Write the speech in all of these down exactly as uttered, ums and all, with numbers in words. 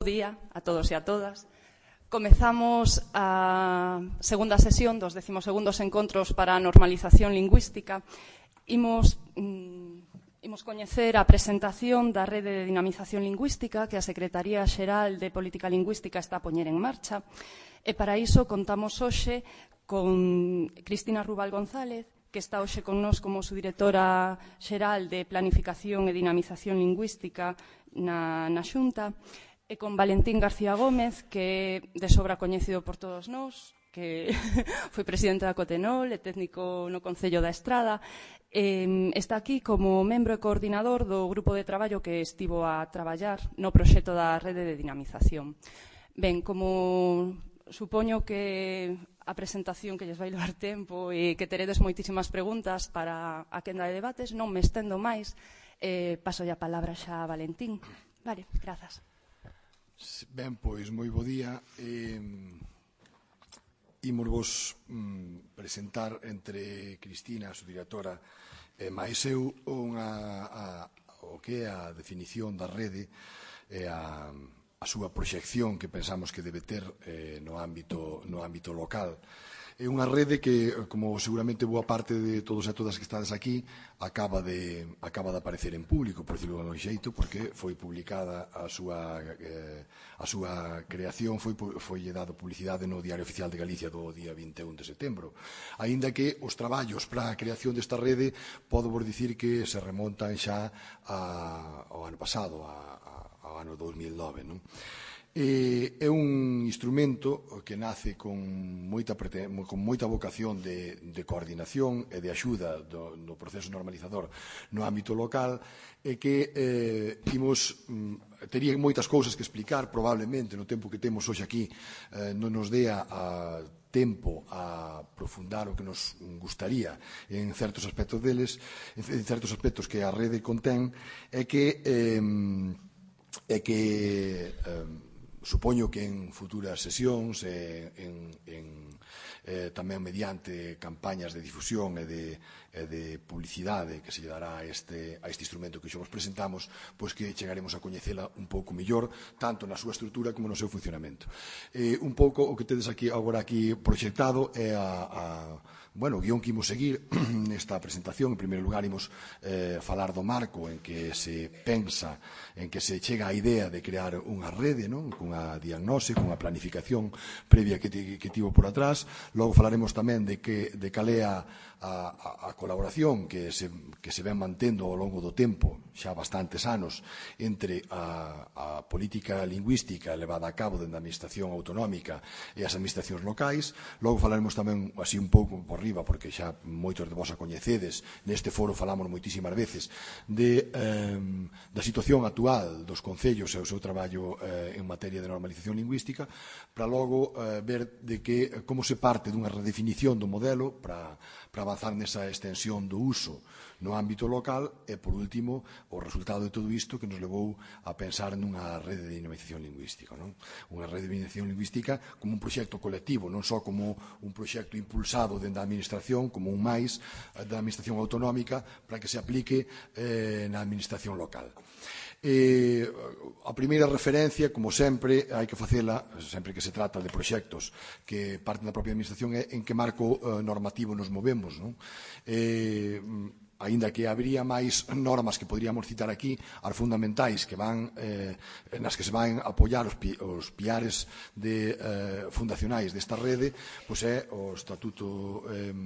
Bo día a todos e a todas. Comezamos a segunda sesión dos decimosegundos encontros para a normalización lingüística. Imos, mm, imos coñecer a presentación da Rede de Dinamización Lingüística que a Secretaría Xeral de Política Lingüística está a poñer en marcha. E para iso contamos hoxe con Cristina Rubal González, que está hoxe con nós como subdirectora xeral de Planificación e Dinamización Lingüística na, na Xunta, e con Valentín García Gómez, que é de sobra coñecido por todos nós, que foi presidente da Cotenol e técnico no Concello da Estrada. Eh, está aquí como membro e coordinador do grupo de traballo que estivo a traballar no proxecto da Rede de Dinamización. Ben, como supoño que a presentación que lles vai levar tempo e que teredes moitísimas preguntas para a quenda de debates, non me estendo máis, eh, paso a palabra xa a Valentín. Vale, grazas. Ben, pois, moi bo día. Eh, imos vos mm, presentar entre Cristina, a subdirectora, e máis eu unha, a, o que é a definición da rede e a, a súa proxección que pensamos que debe ter eh, no ámbito, no ámbito local. É unha rede que, como seguramente boa parte de todos e todas que estades aquí, acaba de, acaba de aparecer en público, por decirlo de un xeito, porque foi publicada a súa, eh, a súa creación, foi, foi dado publicidade no Diario Oficial de Galicia do día vinte e un de setembro. Aínda que os traballos para a creación desta rede, podo vos dicir que se remontan xa a, ao ano pasado, a, a, ao ano dos mil nove, non? É un instrumento que nace con moita, con moita vocación de, de coordinación e de axuda do, do proceso normalizador no ámbito local e que eh, imos, tería moitas cousas que explicar, probablemente no tempo que temos hoxe aquí eh, non nos dea a tempo a profundar o que nos gustaría en certos aspectos deles, en certos aspectos que a rede contén, é que eh, é que eh, supoño que en futuras sesións, eh, en, en, eh, tamén mediante campañas de difusión e de, e de publicidade que se lle dará a este, a este instrumento que xo vos presentamos, pois que chegaremos a coñecela un pouco mellor, tanto na súa estrutura como no seu funcionamento. Eh, un pouco o que tedes aquí agora aquí proxectado é a, a bueno, o guión que imos seguir nesta presentación. En primeiro lugar, imos eh, falar do marco en que se pensa, en que se chega a idea de crear unha rede, non? Cunha diagnose, cunha planificación previa que, que tivo por atrás. Logo falaremos tamén de que de cal é a, a, a colaboración que se, que se ven mantendo ao longo do tempo, xa bastantes anos, entre a, a política lingüística levada a cabo dentro da administración autonómica e as administracións locais. Logo falaremos tamén, así un pouco por riba, porque xa moitos de vos a coñecedes, neste foro falamos moitísimas veces de, eh, da situación actual dos concellos e o seu traballo eh, en materia de normalización lingüística, para logo eh, ver de que como se parte dunha redefinición do modelo para, para avanzar nesa extensión do uso no ámbito local e, por último, o resultado de todo isto que nos levou a pensar nunha rede de dinamización lingüística, non? Unha rede de dinamización lingüística como un proxecto colectivo, non só como un proxecto impulsado dentro da administración, como un máis da administración autonómica para que se aplique eh, na administración local. Eh, a primeira referencia, como sempre, hai que facela, sempre que se trata de proxectos que parten da propia administración, é en que marco eh, normativo nos movemos, non? Eh, aínda que habería máis normas que poderíamos citar aquí, as fundamentais que van, eh, nas que se van apoiar os, pi, os piares de, eh, fundacionais desta rede, pois é o Estatuto, eh,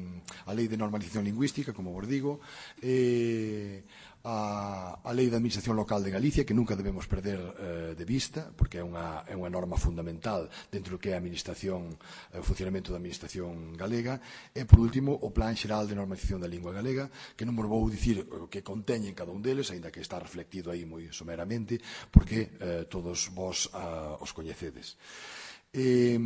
a Lei de Normalización Lingüística, como vos digo, e a, a Lei de Administración Local de Galicia, que nunca debemos perder eh, de vista, porque é unha, é unha norma fundamental dentro do que é a administración, o funcionamento da administración galega, e, por último, o Plan Xeral de Normalización da Lingua Galega, que non vos vou dicir o que conteñen cada un deles, aínda que está reflectido aí moi someramente, porque eh, todos vos ah, os coñecedes. Eh,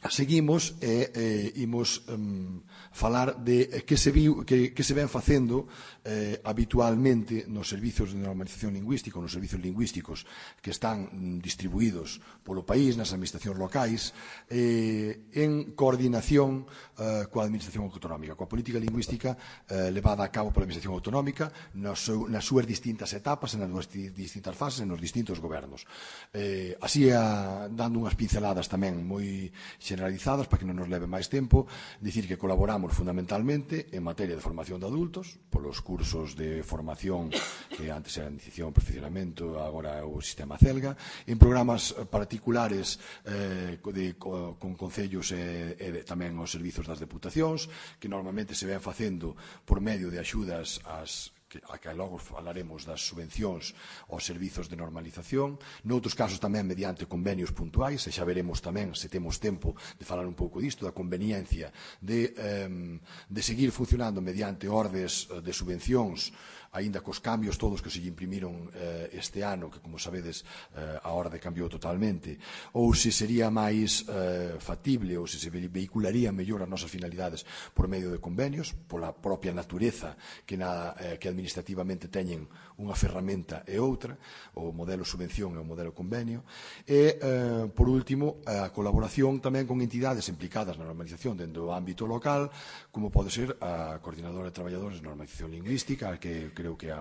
seguimos e eh, imos um, falar de que se, viu, que, que se ven facendo eh, habitualmente nos servizos de normalización lingüística, nos servizos lingüísticos que están mm, distribuídos polo país, nas administracións locais, eh, en coordinación eh, coa administración autonómica, coa política lingüística eh, levada a cabo pola administración autonómica nas, seu, nas súas distintas etapas, nas súas distintas fases, nos distintos gobernos. Eh, así, a, dando unhas pinceladas tamén moi generalizadas para que non nos leve máis tempo, dicir que colaboramos fundamentalmente en materia de formación de adultos, polos cursos de formación que antes era iniciación, perfeccionamento, agora é o sistema CELGA, en programas particulares eh, de, con concellos e, e tamén os servizos das deputacións, que normalmente se ven facendo por medio de axudas ás que, a que logo falaremos das subvencións aos servizos de normalización, noutros casos tamén mediante convenios puntuais, e xa veremos tamén, se temos tempo, de falar un pouco disto, da conveniencia de, eh, de seguir funcionando mediante ordes de subvencións, aínda cos cambios todos que se lle imprimiron eh, este ano, que, como sabedes, eh, a orde cambiou totalmente, ou se sería máis eh, factible, ou se se vehicularía mellor as nosas finalidades por medio de convenios, pola propia natureza que, na, eh, que administrativamente teñen unha ferramenta e outra, o modelo subvención e o modelo convenio, e, eh, por último, a colaboración tamén con entidades implicadas na normalización dentro do ámbito local, como pode ser a Coordinadora de Traballadores de Normalización Lingüística, que creo que a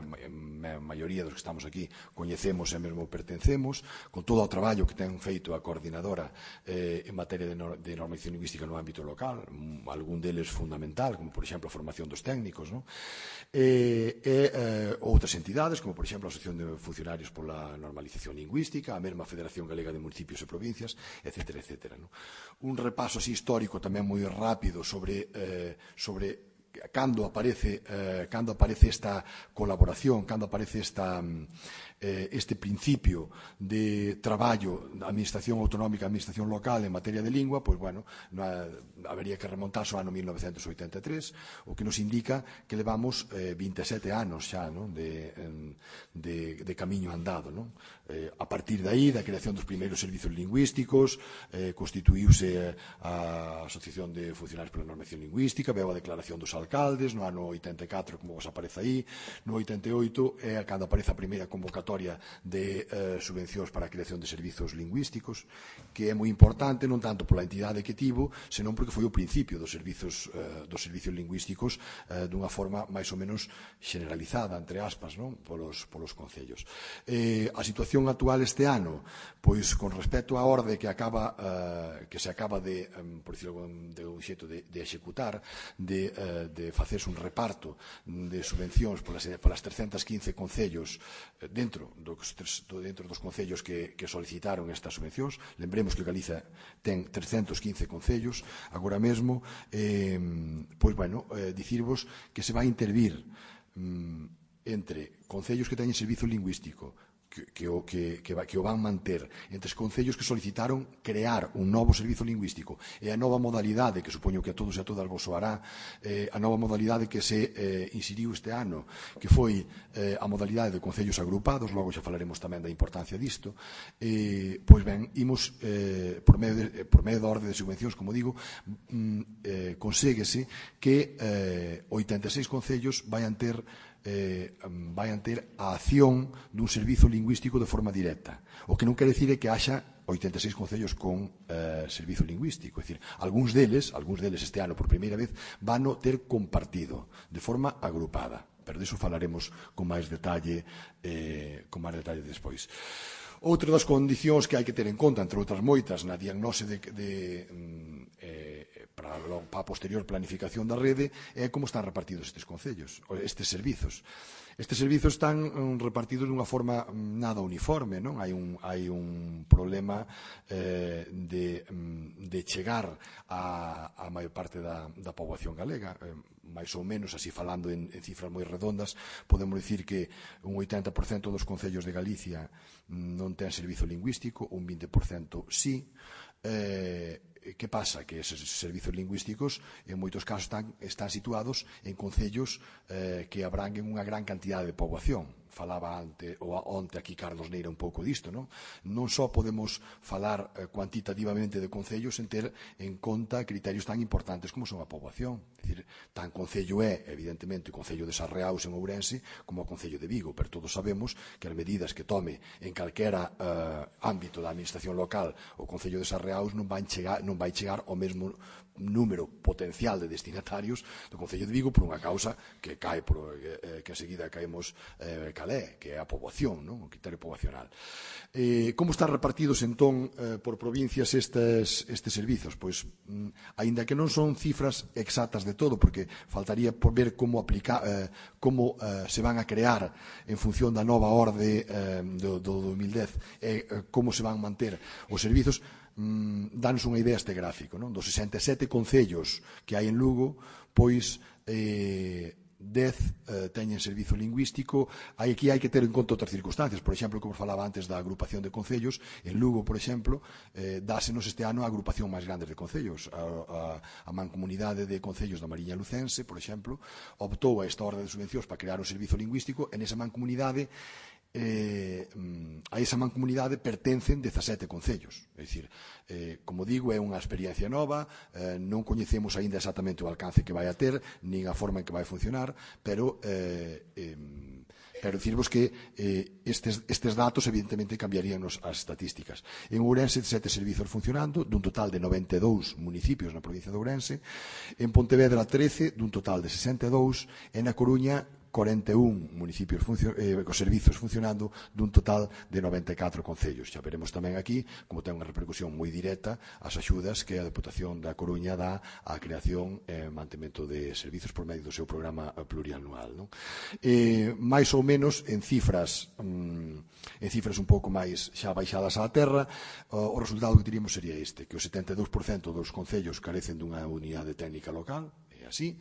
maioría dos que estamos aquí coñecemos e mesmo pertencemos, con todo o traballo que ten feito a coordinadora eh, en materia de, no, de normalización lingüística no ámbito local, algún deles fundamental, como por exemplo a formación dos técnicos, no? e, e eh, outras entidades, como por exemplo a Asociación de Funcionarios pola Normalización Lingüística, a mesma Federación Galega de Municipios e Provincias, etcétera, etcétera, no? Un repaso así histórico tamén moi rápido sobre, eh, sobre cando aparece, eh, cando aparece esta colaboración, cando aparece esta, eh, este principio de traballo da administración autonómica, administración local en materia de lingua, pois, bueno, no, habería que remontarse ao ano mil novecentos oitenta e tres, o que nos indica que levamos eh, vinte e sete anos xa, non? De, de, de camiño andado, non? Eh, a partir de aí, da creación dos primeiros servizos lingüísticos, eh, constituíuse a Asociación de Funcionarios pola Normalización Lingüística, veo a declaración dos alcaldes, no ano oitenta e catro, como vos aparece aí, no oitenta e oito é cando aparece a primeira convocatoria de eh, subvencións para a creación de servizos lingüísticos, que é moi importante non tanto pola entidade que tivo, senón porque foi o principio dos servizos, eh, dos servizos lingüísticos eh, dunha forma máis ou menos generalizada, entre aspas, non? Polos, polos concellos. Eh, a situación actual este ano, pois con respecto á orde que acaba eh, que se acaba de, um, por dicirlo de un xeito, de, de executar, de, eh, de facerse un reparto de subvencións polas, polas trescentos quince concellos dentro dos, dentro dos concellos que, que solicitaron estas subvencións. Lembremos que Galiza ten trescentos quince concellos agora mesmo, eh, pois, bueno, eh, dicirvos que se vai intervir mm, entre concellos que teñen servizo lingüístico, Que, que, o, que, que, que o van manter, entre os concellos que solicitaron crear un novo servizo lingüístico e a nova modalidade, que supoño que a todos e a todas vos soará, eh, a nova modalidade que se eh, inseriu este ano, que foi eh, a modalidade de concellos agrupados, logo xa falaremos tamén da importancia disto, eh, pois ben, imos eh, por, medio de, por medio da orde de subvencións, como digo, mm, eh, conséguese que eh, oitenta e seis concellos vayan ter Eh, vayan ter a acción dun servizo lingüístico de forma directa. O que non quere dicir é que haxa oitenta e seis concellos con eh, servizo lingüístico. É dicir, algúns deles, algúns deles este ano por primeira vez, van a ter compartido de forma agrupada. Pero diso falaremos con máis detalle, eh, con máis detalle despois. Outra das condicións que hai que ter en conta, entre outras moitas, na diagnose de, de eh, para, para a posterior planificación da rede, é como están repartidos estes concellos, estes servizos. Estes servizos están um, repartidos dunha forma um, nada uniforme, non? Hai un, hai un problema eh, de, um, de chegar a, a maior parte da, da poboación galega, eh, máis ou menos, así falando en, en cifras moi redondas, podemos dicir que un oitenta por cento dos concellos de Galicia non ten servizo lingüístico, un vinte por cento sí. Eh, que pasa? Que eses servizos lingüísticos en moitos casos están, están situados en concellos eh, que abranguen unha gran cantidade de poboación. falaba ante, ou onte aquí Carlos Neira un pouco disto, non? Non só podemos falar eh, cuantitativamente de concellos sen ter en conta criterios tan importantes como son a poboación. É dicir, tan concello é, evidentemente, o concello de Sarreaus en Ourense como o concello de Vigo, pero todos sabemos que as medidas que tome en calquera eh, ámbito da administración local o concello de Sarreaus non vai chegar, non vai chegar ao mesmo número potencial de destinatarios do concello de Vigo por unha causa que cae por, eh, que enseguida caemos eh, calé, que é a poboación, non? O criterio poboacional. Eh, como están repartidos entón eh, por provincias estes, estes servizos? Pois, mm, aínda que non son cifras exactas de todo, porque faltaría por ver como aplicar, eh, como eh, se van a crear en función da nova orde eh, do, do dos mil dez e eh, como se van manter os servizos. Mm, danos unha idea este gráfico, non? Dos sesenta e sete concellos que hai en Lugo, pois eh, dez eh, teñen servizo lingüístico. Aquí hai que ter en conta outras circunstancias. Por exemplo, como falaba antes da agrupación de concellos, en Lugo, por exemplo, eh, dásenos este ano a agrupación máis grande de concellos. A, a, a mancomunidade de concellos da Mariña Lucense, por exemplo, optou a esta orde de subvencións para crear un servizo lingüístico. En esa mancomunidade Eh, a esa mancomunidade pertencen dezasete concellos. É dicir, eh, como digo, é unha experiencia nova, eh, non coñecemos aínda exactamente o alcance que vai a ter, nin a forma en que vai funcionar, pero eh, eh, pero dicirvos que eh, estes, estes datos evidentemente cambiarían as estatísticas. En Ourense, sete servizos funcionando, dun total de noventa e dous municipios na provincia de Ourense, en Pontevedra, trece, dun total de sesenta e dous, e na Coruña, cuarenta e un municipios eh, os servizos funcionando dun total de noventa e catro concellos. Xa veremos tamén aquí como ten unha repercusión moi directa as axudas que a Deputación da Coruña dá á creación e mantemento de servizos por medio do seu programa plurianual, non? Eh, máis ou menos en cifras mm, en cifras un pouco máis xa baixadas á terra, o, o resultado que teríamos sería este, que o setenta e dous por cento dos concellos carecen dunha unidade técnica local, así,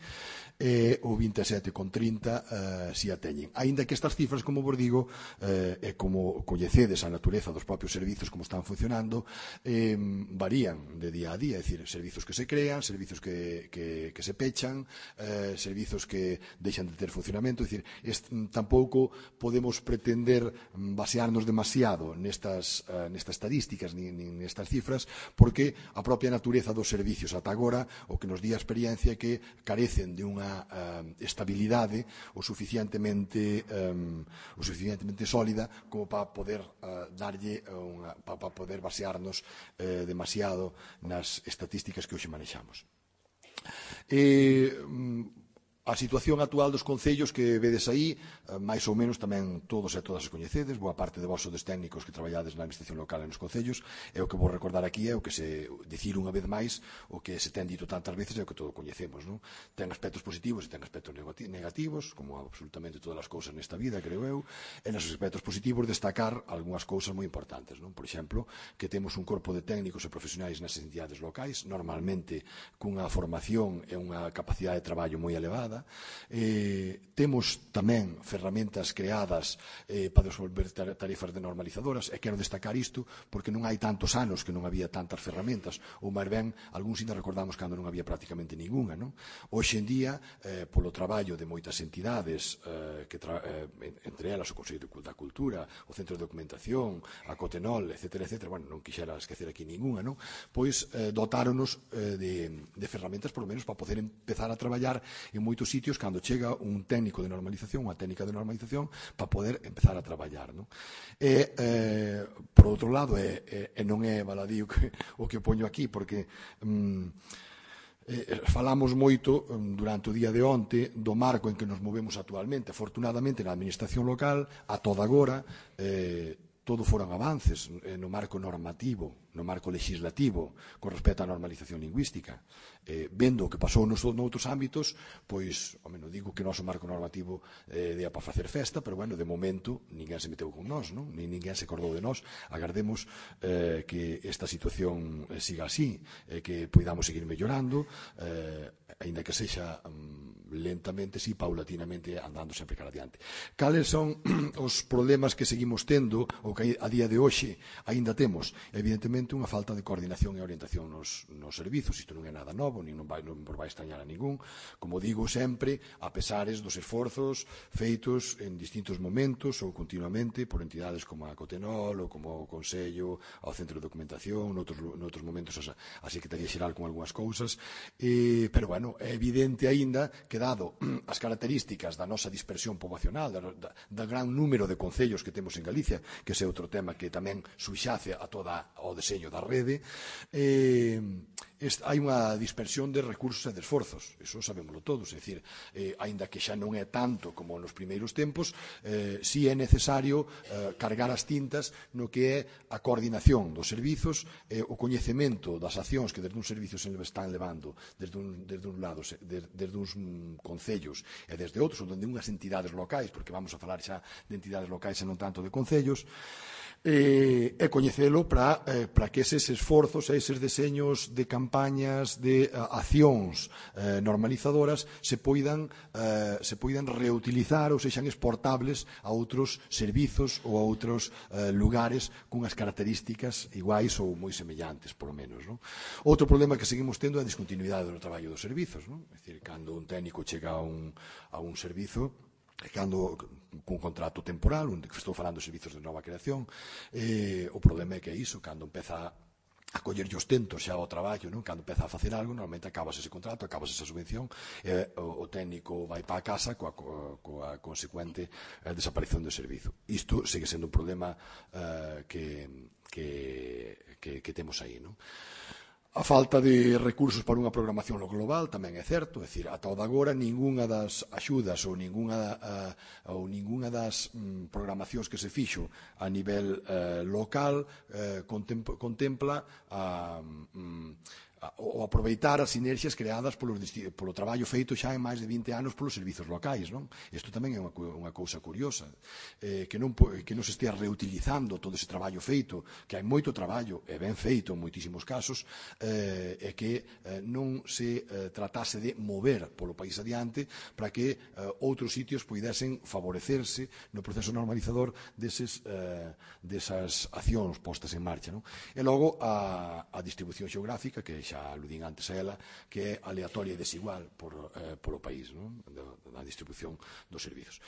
e o vinte e sete con trinta eh, si a teñen. Aínda que estas cifras, como vos digo, eh, e como coñecedes a natureza dos propios servizos, como están funcionando, eh, varían de día a día, é dicir, servizos que se crean, servizos que, que, que se pechan, eh, servizos que deixan de ter funcionamento, é dicir, est, tampouco podemos pretender basearnos demasiado nestas, uh, nestas estadísticas, nin, nin nestas cifras, porque a propia natureza dos servicios ata agora, o que nos di a experiencia é que carecen de unha uh, estabilidade o suficientemente um, o suficientemente sólida como para poder uh, darlle unha, para, para poder basearnos uh, demasiado nas estatísticas que hoxe manexamos. E a situación actual dos concellos que vedes aí, máis ou menos tamén todos e todas as coñecedes, boa parte de vos sodes técnicos que traballades na administración local e nos concellos, e o que vou recordar aquí é o que se dicir unha vez máis, o que se ten dito tantas veces é o que todos coñecemos, non? Ten aspectos positivos e ten aspectos negativos, como absolutamente todas as cousas nesta vida, creo eu, e nos aspectos positivos destacar algunhas cousas moi importantes, non? Por exemplo, que temos un corpo de técnicos e profesionais nas entidades locais, normalmente cunha formación e unha capacidade de traballo moi elevada. Eh, temos tamén ferramentas creadas eh, para desenvolver tarefas de normalizadoras, e quero destacar isto porque non hai tantos anos que non había tantas ferramentas, ou máis ben, algúns ainda recordamos cando non había prácticamente ningunha, non? Hoxe en día, eh, polo traballo de moitas entidades, eh, que tra eh, entre elas o Consello da Cultura, o Centro de Documentación, a Cotenol, etcétera, etcétera, bueno, non quixera esquecer aquí ningunha, non? Pois eh, dotáronos eh, de, de ferramentas, por lo menos, para poder empezar a traballar en moitos sitios cando chega un técnico de normalización, unha técnica de normalización, para poder empezar a traballar, non? E, eh, por outro lado, e, e, e non é baladío que, o que poño aquí, porque mm, eh, falamos moito durante o día de onte do marco en que nos movemos actualmente. Afortunadamente, na administración local, a toda agora, eh, todo foron avances no marco normativo, no marco legislativo, con respecto á normalización lingüística. Eh, vendo o que pasou nos noutros ámbitos, pois, home, non digo que o noso marco normativo eh, dea para facer festa, pero, bueno, de momento, ninguén se meteu con nós, non? Nin ninguén se acordou de nós. Agardemos eh, que esta situación eh, siga así, eh, que poidamos seguir mellorando, eh, aínda que sexa um, lentamente, si, paulatinamente, andando sempre cara adiante. Cales son os problemas que seguimos tendo, ou o que a día de hoxe aínda temos, evidentemente, unha falta de coordinación e orientación nos, nos servizos. Isto non é nada novo, nin non vai, non vai extrañar a ningún. Como digo sempre, a pesares dos esforzos feitos en distintos momentos ou continuamente por entidades como a Cotenol ou como o Consello, ao Centro de Documentación, noutros, noutros momentos a, a Secretaría Xeral con algunhas cousas, e, pero, bueno, é evidente aínda que, dado as características da nosa dispersión poboacional, da, da, da gran número de concellos que temos en Galicia, que ese é outro tema que tamén subxace a toda o deseño da rede, eh, hai unha dispersión de recursos e de esforzos, iso sabémoslo todos, é dicir, eh, aínda que xa non é tanto como nos primeiros tempos, eh, si é necesario eh, cargar as tintas no que é a coordinación dos servizos, eh, o coñecemento das accións que desde un servicio se están levando desde un, desde un lado, desde, desde uns mm, concellos e desde outros, ou desde unhas entidades locais, porque vamos a falar xa de entidades locais e non tanto de concellos, e, e coñecelo para, eh, para que eses esforzos e eses deseños de campañas, de uh, accións eh, normalizadoras se poidan, eh, se poidan reutilizar ou sexan exportables a outros servizos ou a outros eh, lugares cunhas características iguais ou moi semellantes, por lo menos. Non? Outro problema que seguimos tendo é a discontinuidade do traballo dos servizos. Non? É dicir, cando un técnico chega a un, a un servizo, cando cun contrato temporal, onde estou falando de servizos de nova creación, eh, o problema é que é iso, cando empeza a collerlle os tentos xa ao traballo, non? Cando empeza a facer algo, normalmente acabas ese contrato, acabas esa subvención, e o, o técnico vai para a casa coa, coa, coa consecuente eh, desaparición do servizo. Isto segue sendo un problema eh, que, que, que, que temos aí, non? A falta de recursos para unha programación global tamén é certo, é dicir, ata o de agora ningunha das axudas ou ningunha, uh, ou ningunha das um, programacións que se fixo a nivel uh, local uh, contempla, contempla a, um, o aproveitar as sinerxias creadas polo, polo traballo feito xa en máis de vinte anos polos servizos locais. Non? Isto tamén é unha, unha cousa curiosa, eh, que, non, que non se estea reutilizando todo ese traballo feito, que hai moito traballo, e ben feito en moitísimos casos, eh, e que eh, non se eh, tratase de mover polo país adiante para que eh, outros sitios poidesen favorecerse no proceso normalizador deses, eh, desas accións postas en marcha. Non? E logo a, a distribución xeográfica, que xa xa aludín antes a ela, que é aleatoria e desigual por, eh, polo país, non? Da distribución dos servizos.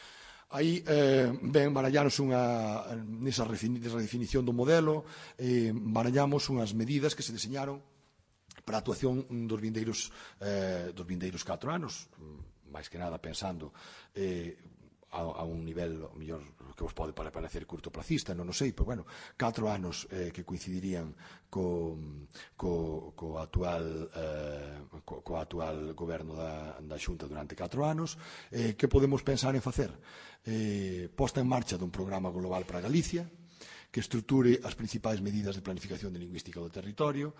Aí eh, ben barallamos unha, nesa redefinición do modelo, eh, barallamos unhas medidas que se deseñaron para a actuación dos vindeiros, eh, dos vindeiros catro anos, máis que nada pensando eh, a, a un nivel, mellor, que vos pode parecer curtoplacista, non o sei, pero bueno, catro anos eh, que coincidirían co, co, co actual eh, co, co actual goberno da, da Xunta durante catro anos. Eh, que podemos pensar en facer? Eh, posta en marcha dun programa global para Galicia, que estruture as principais medidas de planificación de lingüística do territorio,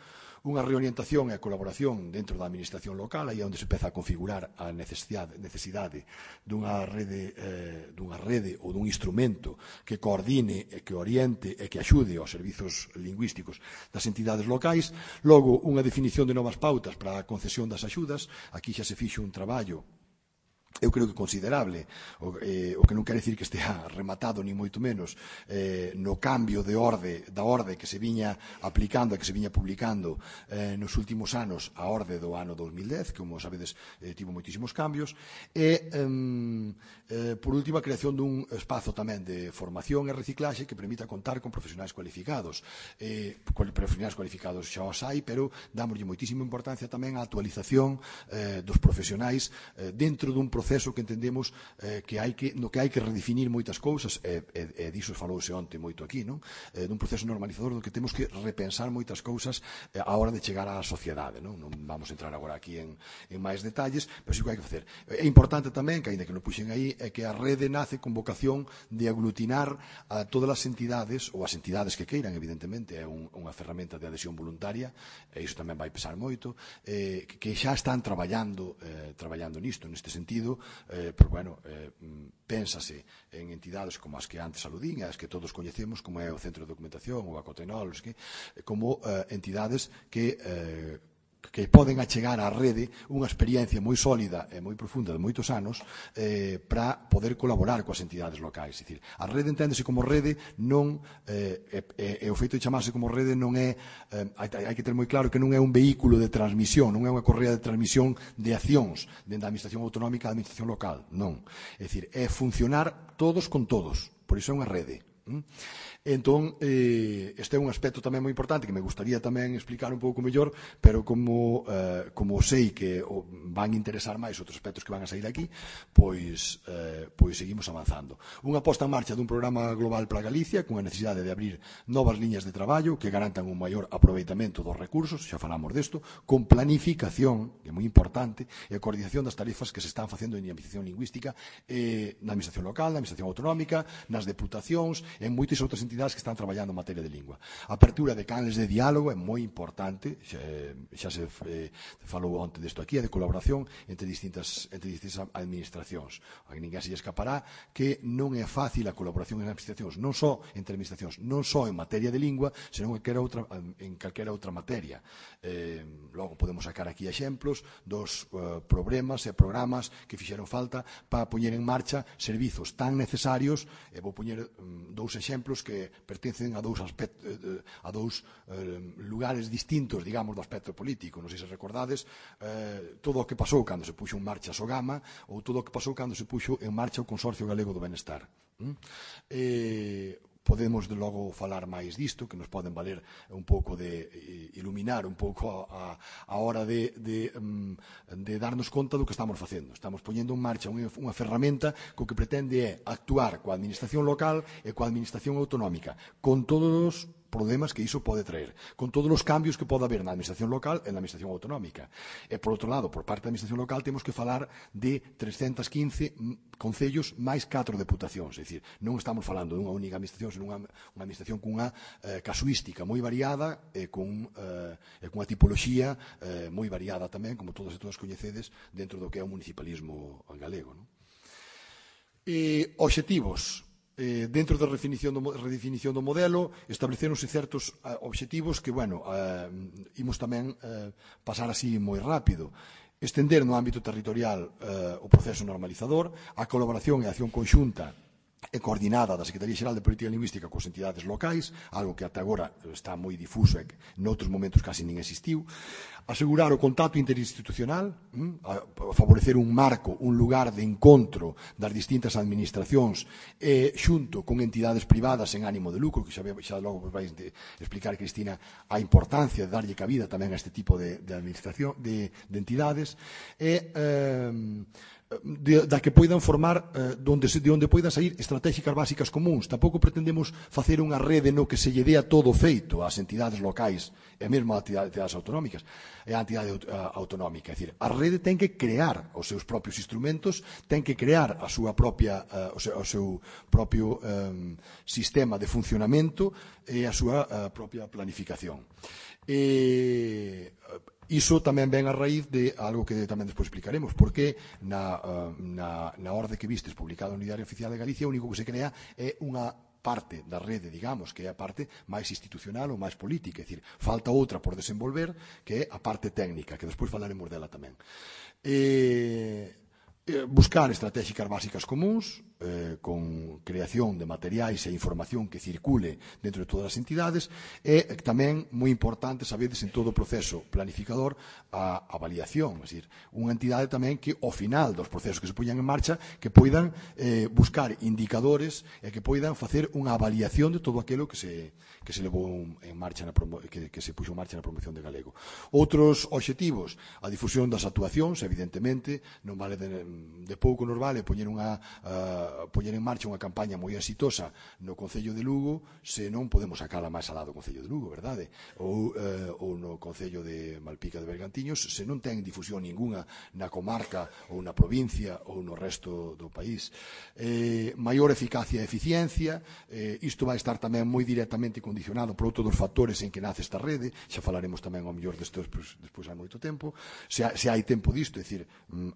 unha reorientación e a colaboración dentro da administración local, aí é onde se empeza a configurar a necesidade, necesidade dunha rede, eh, dunha rede ou dun instrumento que coordine e que oriente e que axude aos servizos lingüísticos das entidades locais. Logo, unha definición de novas pautas para a concesión das axudas. Aquí xa se fixo un traballo, eu creo que considerable, o, eh, o que non quere dicir que estea rematado ni moito menos, eh, no cambio de orde, da orde que se viña aplicando e que se viña publicando eh, nos últimos anos, a orde do ano dos mil dez, que, como sabedes, eh, tivo moitísimos cambios, e, eh, por último, a creación dun espazo tamén de formación e reciclaxe que permita contar con profesionais cualificados. Eh, profesionais cualificados xa os hai, pero dámoslle moitísima importancia tamén á actualización eh, dos profesionais eh, dentro dun proceso proceso que entendemos eh, que hai que, no que hai que redefinir moitas cousas, e, e, e diso falouse onte moito aquí, non? Eh, dun proceso normalizador no que temos que repensar moitas cousas eh, a hora de chegar á sociedade. Non, non vamos a entrar agora aquí en, en máis detalles, pero sí que hai que facer. É importante tamén, que ainda que non puxen aí, é que a rede nace con vocación de aglutinar a todas as entidades, ou as entidades que queiran, evidentemente, é un, unha ferramenta de adhesión voluntaria, e iso tamén vai pesar moito, eh, que xa están traballando, eh, traballando nisto, neste sentido. Eh, pero, bueno, eh, pénsase en entidades como as que antes aludín, as que todos coñecemos, como é o Centro de Documentación ou a Cotenol, que, como eh, entidades que, eh, que que poden achegar á rede unha experiencia moi sólida e moi profunda de moitos anos eh, para poder colaborar coas entidades locais. É dicir, a rede enténdese como rede non eh, e, e o feito de chamarse como rede non é eh, hai, hai que ter moi claro que non é un vehículo de transmisión, non é unha correa de transmisión de accións dentro da administración autonómica e da administración local, non. É dicir, é funcionar todos con todos, por iso é unha rede. Entón, eh, este é un aspecto tamén moi importante que me gustaría tamén explicar un pouco mellor, pero como, eh, como sei que o, van interesar máis outros aspectos que van a sair aquí, pois, eh, pois seguimos avanzando. Unha posta en marcha dun programa global para Galicia, con a necesidade de abrir novas liñas de traballo que garantan un maior aproveitamento dos recursos, xa falamos desto, con planificación, que é moi importante, e a coordinación das tarefas que se están facendo en dinamización lingüística eh, na administración local, na administración autonómica, nas deputacións, en moitas outras entidades que están traballando en materia de lingua. A apertura de canles de diálogo é moi importante, xa, xa se eh, falou onte desto aquí, de colaboración entre distintas, entre distintas administracións. A ninguén se lle escapará que non é fácil a colaboración en administracións, non só entre administracións, non só en materia de lingua, senón en calquera outra, en calquera outra materia. Eh, logo podemos sacar aquí exemplos dos uh, problemas e programas que fixeron falta para poñer en marcha servizos tan necesarios, e vou poñer um, dous exemplos que pertencen a dous aspectos, a dous eh, lugares distintos, digamos, do aspecto político. Non sei se recordades eh, todo o que pasou cando se puxo en marcha a Sogama ou todo o que pasou cando se puxo en marcha o Consorcio Galego do Benestar. ¿Mm? Eh, podemos de logo falar máis disto, que nos poden valer un pouco de eh, iluminar un pouco a, a hora de, de, de darnos conta do que estamos facendo. Estamos poñendo en marcha unha, unha ferramenta co que pretende é actuar coa administración local e coa administración autonómica, con todos os problemas que iso pode traer, con todos os cambios que pode haber na administración local e na administración autonómica. E, por outro lado, por parte da administración local, temos que falar de trescentos quince concellos máis catro deputacións. É dicir, non estamos falando dunha única administración, senón unha, unha administración cunha eh, casuística moi variada e con, eh, e cunha tipoloxía eh, moi variada tamén, como todos e todas coñecedes, dentro do que é o municipalismo galego. Non? E, obxectivos. Eh, dentro da redefinición do, redefinición do modelo establecéronse certos uh, obxectivos que, bueno, uh, imos tamén uh, pasar así moi rápido. Estender no ámbito territorial uh, o proceso normalizador, a colaboración e a acción conxunta e coordinada da Secretaría Xeral de Política Lingüística cos entidades locais, algo que ata agora está moi difuso e que noutros momentos casi nin existiu. Asegurar o contacto interinstitucional, a favorecer un marco, un lugar de encontro das distintas administracións e xunto con entidades privadas en ánimo de lucro, que xa, xa logo vais de explicar, Cristina, a importancia de darlle cabida tamén a este tipo de, de administración, de, de entidades, e eh, De, da que poidan formar eh, donde se, de onde poidan sair estratégicas básicas comuns. Tampouco pretendemos facer unha rede no que se lle dea todo feito ás entidades locais e mesmo ás entidades autonómicas e á entidade uh, autonómica. É dicir, a rede ten que crear os seus propios instrumentos, ten que crear a súa propia, uh, o, seu, o seu propio um, sistema de funcionamento e a súa uh, propia planificación. E iso tamén ven a raíz de algo que tamén despois explicaremos, porque na, na, na orde que vistes publicada no Diario Oficial de Galicia, o único que se crea é unha parte da rede, digamos, que é a parte máis institucional ou máis política, é dicir, falta outra por desenvolver, que é a parte técnica, que despois falaremos dela tamén. E buscar estratégicas básicas comuns, eh, con creación de materiais e información que circule dentro de todas as entidades, e tamén moi importante, sabedes, en todo o proceso planificador, a avaliación, é dicir, unha entidade tamén que ao final dos procesos que se poñan en marcha, que poidan eh, buscar indicadores e que poidan facer unha avaliación de todo aquilo que se, que se levou en marcha na promo, que, que se puxo en marcha na promoción de galego. Outros obxectivos, a difusión das actuacións, evidentemente, non vale de, de pouco nos vale poñer unha uh, poñer en marcha unha campaña moi exitosa no Concello de Lugo se non podemos sacala máis alá do Concello de Lugo, verdade? Ou, uh, ou no Concello de Malpica de Bergantiños se non ten difusión ninguna na comarca ou na provincia ou no resto do país. Eh, maior eficacia e eficiencia, eh, isto vai estar tamén moi directamente condicionado por outro dos factores en que nace esta rede, xa falaremos tamén ao mellor despois, despois hai moito tempo, se, se hai tempo disto, é dicir,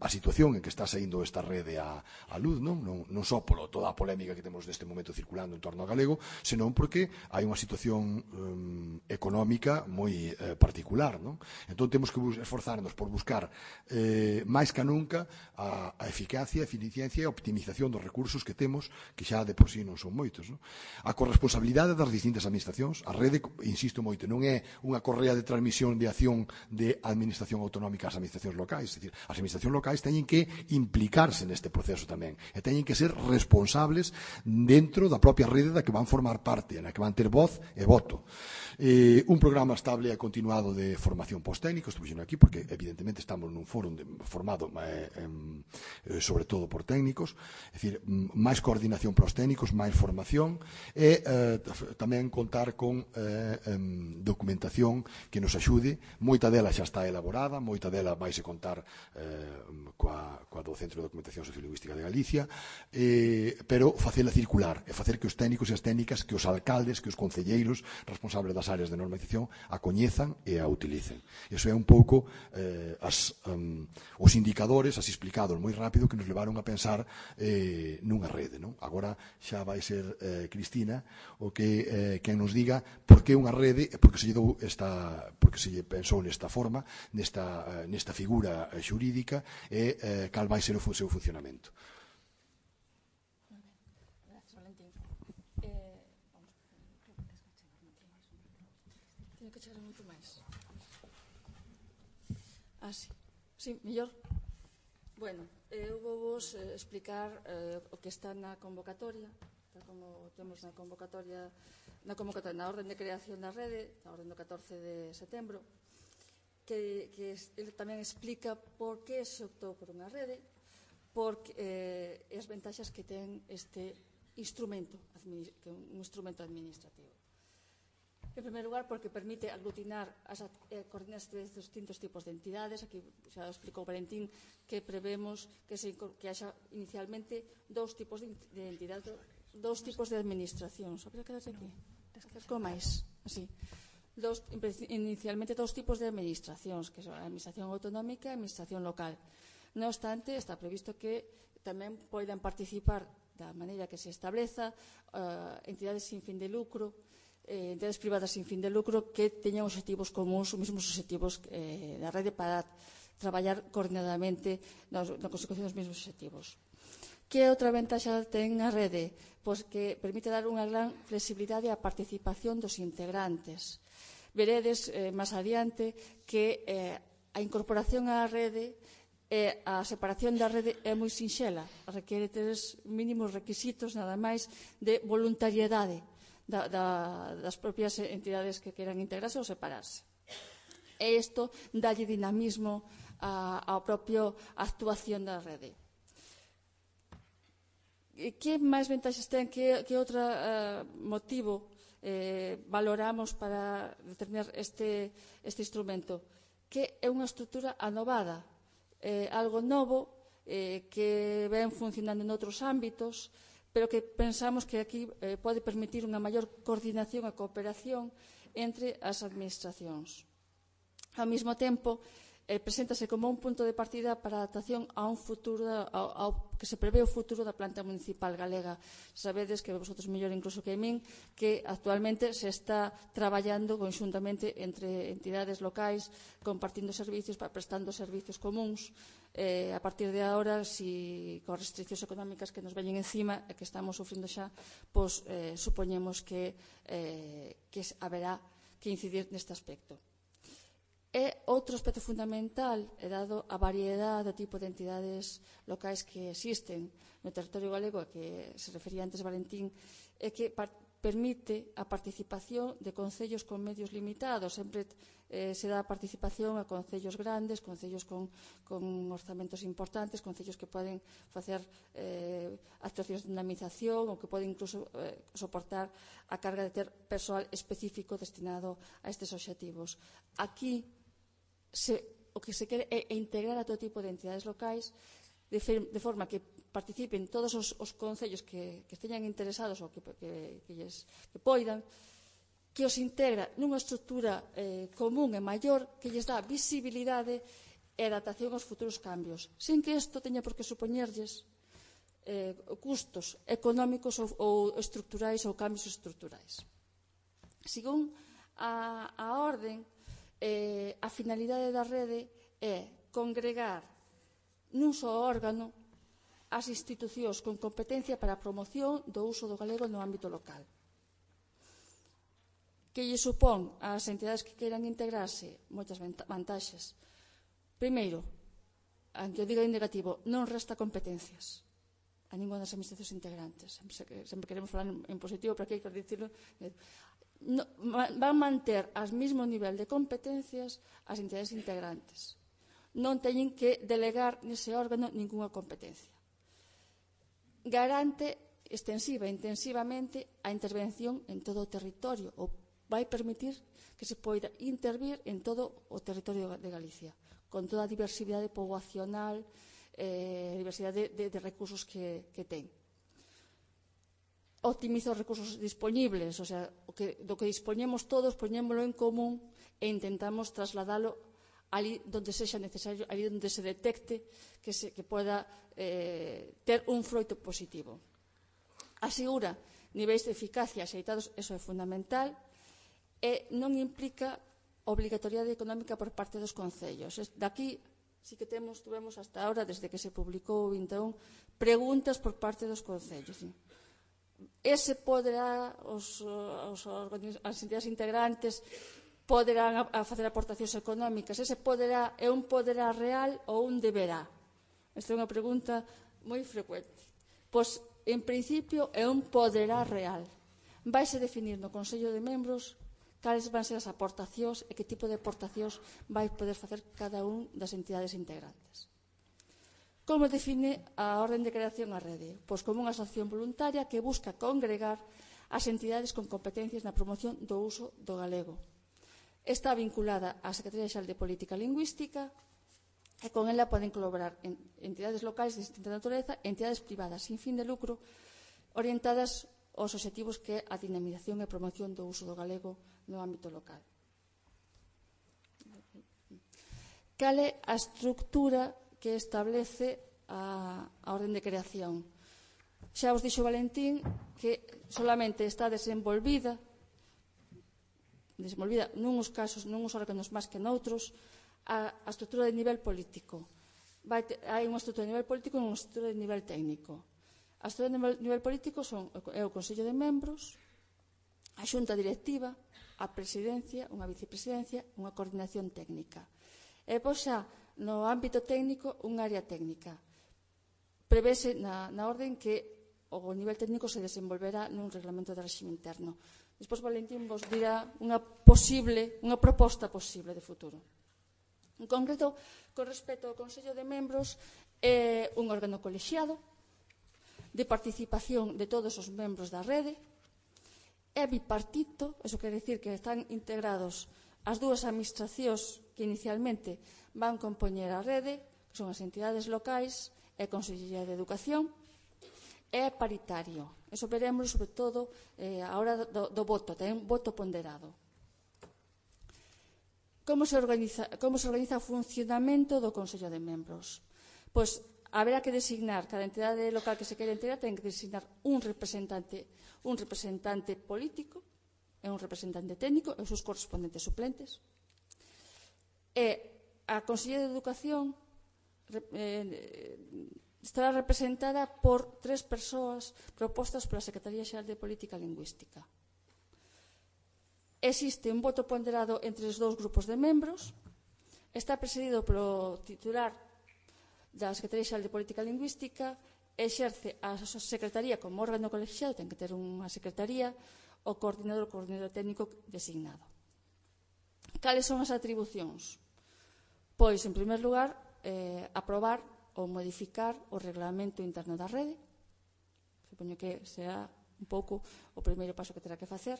a situación en que está saindo esta rede a, a luz, non? Non, non non só polo toda a polémica que temos neste momento circulando en torno ao galego, senón porque hai unha situación um, económica moi eh, particular, non? Entón temos que esforzarnos por buscar eh, máis que nunca a, a eficacia, a eficiencia e a optimización dos recursos que temos, que xa de por sí non son moitos, non? A corresponsabilidade das distintas administracións, a rede, insisto moito, non é unha correa de transmisión de acción de administración autonómica ás administracións locais, é dicir, as administracións locais teñen que implicarse neste proceso tamén e teñen que ser responsables dentro da propia rede da que van formar parte, na que van ter voz e voto. Eh, un programa estable e continuado de formación post-técnico, estou dixendo aquí porque evidentemente estamos nun foro de, formado eh, eh, sobre todo por técnicos, é dicir, máis coordinación para os técnicos, máis formación e eh, tamén contar con eh, eh, documentación que nos axude, moita dela xa está elaborada, moita dela vaise contar eh, coa, coa do Centro de Documentación Sociolingüística de Galicia, eh, pero facela circular e facer que os técnicos e as técnicas, que os alcaldes, que os concelleiros responsables das áreas de normalización a coñezan e a utilicen. Iso é un pouco eh, as, um, os indicadores, así explicados moi rápido, que nos levaron a pensar eh, nunha rede, non? Agora xa vai ser eh, Cristina o que eh, quen nos diga por que unha rede e por que se lle dou esta, por que se lle pensou nesta forma, nesta, nesta figura xurídica e eh, cal vai ser o seu funcionamento. Teño que chegar moito máis. Ah, sí. Sí, mellor. Bueno, eu vou vos eh, explicar eh, o que está na convocatoria, tal como temos na convocatoria, na convocatoria, na orden de creación da rede, na orden do catorce de setembro, que, que ele tamén explica por que se optou por unha rede, porque eh, as ventaxas que ten este instrumento, que é un instrumento administrativo. En primeiro lugar, porque permite aglutinar as eh, coordinarse de distintos tipos de entidades. Aquí xa explicou Valentín que prevemos que, se, que haxa inicialmente dous tipos de, de entidades, dous tipos de administracións. Habría que darse aquí? Como máis? Así. Dos, inicialmente dous tipos de administracións, que son a administración autonómica e a administración local. Non obstante, está previsto que tamén poidan participar da maneira que se estableza uh, entidades sin fin de lucro, eh, entidades privadas sin fin de lucro que teñan obxectivos comuns, os mesmos obxectivos eh, da rede para traballar coordinadamente na, na consecución dos mesmos obxectivos. Que outra ventaxa ten a rede? Pois que permite dar unha gran flexibilidade á participación dos integrantes. Veredes eh, máis adiante que eh, a incorporación á rede e a separación da rede é moi sinxela, requiere tres mínimos requisitos nada máis de voluntariedade da, da, das propias entidades que queran integrarse ou separarse. E isto dalle dinamismo a, a propia actuación da rede. Que máis ventaxas ten? Que, que outro uh, motivo eh, valoramos para determinar este, este instrumento? Que é unha estrutura anovada, eh, algo novo eh, que ven funcionando en outros ámbitos, pero que pensamos que aquí eh, pode permitir unha maior coordinación e cooperación entre as administracións. Ao mesmo tempo, eh, preséntase como un punto de partida para a adaptación a un futuro, ao, ao que se prevé o futuro da planta municipal galega. Sabedes que vosotros mellor incluso que min, que actualmente se está traballando conxuntamente entre entidades locais, compartindo servicios, prestando servicios comuns. Eh, a partir de agora, si con restriccións económicas que nos veñen encima e que estamos sufrindo xa, pois eh, supoñemos que, eh, que haberá que incidir neste aspecto. E outro aspecto fundamental é dado a variedade do tipo de entidades locais que existen no territorio galego, a que se refería antes Valentín, é que permite a participación de concellos con medios limitados. Sempre eh, se dá participación a concellos grandes, concellos con, con orzamentos importantes, concellos que poden facer eh, actuacións de dinamización ou que poden incluso eh, soportar a carga de ter persoal específico destinado a estes obxectivos. Aquí Se, o que se quere é integrar a todo tipo de entidades locais de, fe, de forma que participen todos os, os concellos que, que esteñan interesados ou que, que, que, lles, que poidan, que os integra nunha estrutura eh, común e maior que lles dá visibilidade e adaptación aos futuros cambios, sin que isto teña por que supoñerlles eh, custos económicos ou, ou estructurais ou cambios estructurais. Según a, a orden, eh, a finalidade da rede é congregar nun só órgano as institucións con competencia para a promoción do uso do galego no ámbito local. Que lle supón ás entidades que queiran integrarse moitas vantaxes. Primeiro, aunque eu diga en negativo, non resta competencias a ninguna das administracións integrantes. Sempre, sempre queremos falar en, en positivo, pero aquí hai que dicirlo. No, van manter ao mesmo nivel de competencias as entidades integrantes. Non teñen que delegar nese órgano ninguna competencia. Garante extensiva e intensivamente a intervención en todo o territorio, ou vai permitir que se poida intervir en todo o territorio de Galicia, con toda a diversidade poboacional, eh, diversidade de, de, de recursos que, que ten. Optimiza os recursos disponibles, o sea, o que, do que dispoñemos todos, poñémolo en común e intentamos trasladalo ali donde sexa necesario, ali donde se detecte que, se, que poda eh, ter un froito positivo. Asegura niveis de eficacia axeitados, eso é fundamental, e non implica obrigatoriedade económica por parte dos concellos. Daqui sí que temos, tuvemos hasta ahora, desde que se publicou o vinte e un, preguntas por parte dos concellos. Ese poderá, os, os, as entidades integrantes poderán a, a facer aportacións económicas. Ese poderá é un poderá real ou un deberá? Esta é unha pregunta moi frecuente. Pois, en principio, é un poderá real. Vaise definir no Consello de Membros cales van ser as aportacións e que tipo de aportacións vai poder facer cada un das entidades integrantes. Como define a orden de creación a rede? Pois como unha asociación voluntaria que busca congregar as entidades con competencias na promoción do uso do galego. Está vinculada á Secretaría Xeral de Política Lingüística e con ela poden colaborar en entidades locais de distinta natureza e entidades privadas sin fin de lucro orientadas aos obxectivos que é a dinamización e promoción do uso do galego no ámbito local. Cal é a estructura que establece a, a orden de creación? Xa os dixo Valentín que solamente está desenvolvida desenvolvida nuns casos, nuns órganos máis que noutros, a, a estructura de nivel político. Vai te, hai unha estructura de nivel político e unha estructura de nivel técnico. A estructura de nivel, nivel político son, é o Consello de Membros, a Xunta Directiva, a Presidencia, unha Vicepresidencia, unha Coordinación Técnica. E pois xa, no ámbito técnico, unha área técnica. Prevese na, na orden que o nivel técnico se desenvolverá nun reglamento de réxime interno. Despois Valentín vos dirá unha posible, unha proposta posible de futuro. En concreto, con respecto ao Consello de Membros, é un órgano colexiado de participación de todos os membros da rede, é bipartito, eso quere dicir que están integrados as dúas administracións que inicialmente van compoñer a rede, que son as entidades locais e a Consellería de Educación, é paritario. Eso veremos, sobre todo, eh, a hora do, do voto, ten un voto ponderado. Como se organiza, como se organiza o funcionamento do Consello de Membros? Pois haberá que designar, cada entidade local que se queira integrar ten que designar un representante, un representante político e un representante técnico e os seus correspondentes suplentes. E a Consellería de Educación eh, estará representada por tres persoas propostas pola Secretaría Xeral de Política Lingüística. Existe un voto ponderado entre os dous grupos de membros, está presidido polo titular da Secretaría Xeral de Política Lingüística, exerce a Secretaría como órgano colexiado, ten que ter unha secretaría, o coordinador, o coordinador técnico designado. Cales son as atribucións? Pois, en primer lugar, eh, aprobar ou modificar o reglamento interno da rede. Supoño que será un pouco o primeiro paso que terá que facer.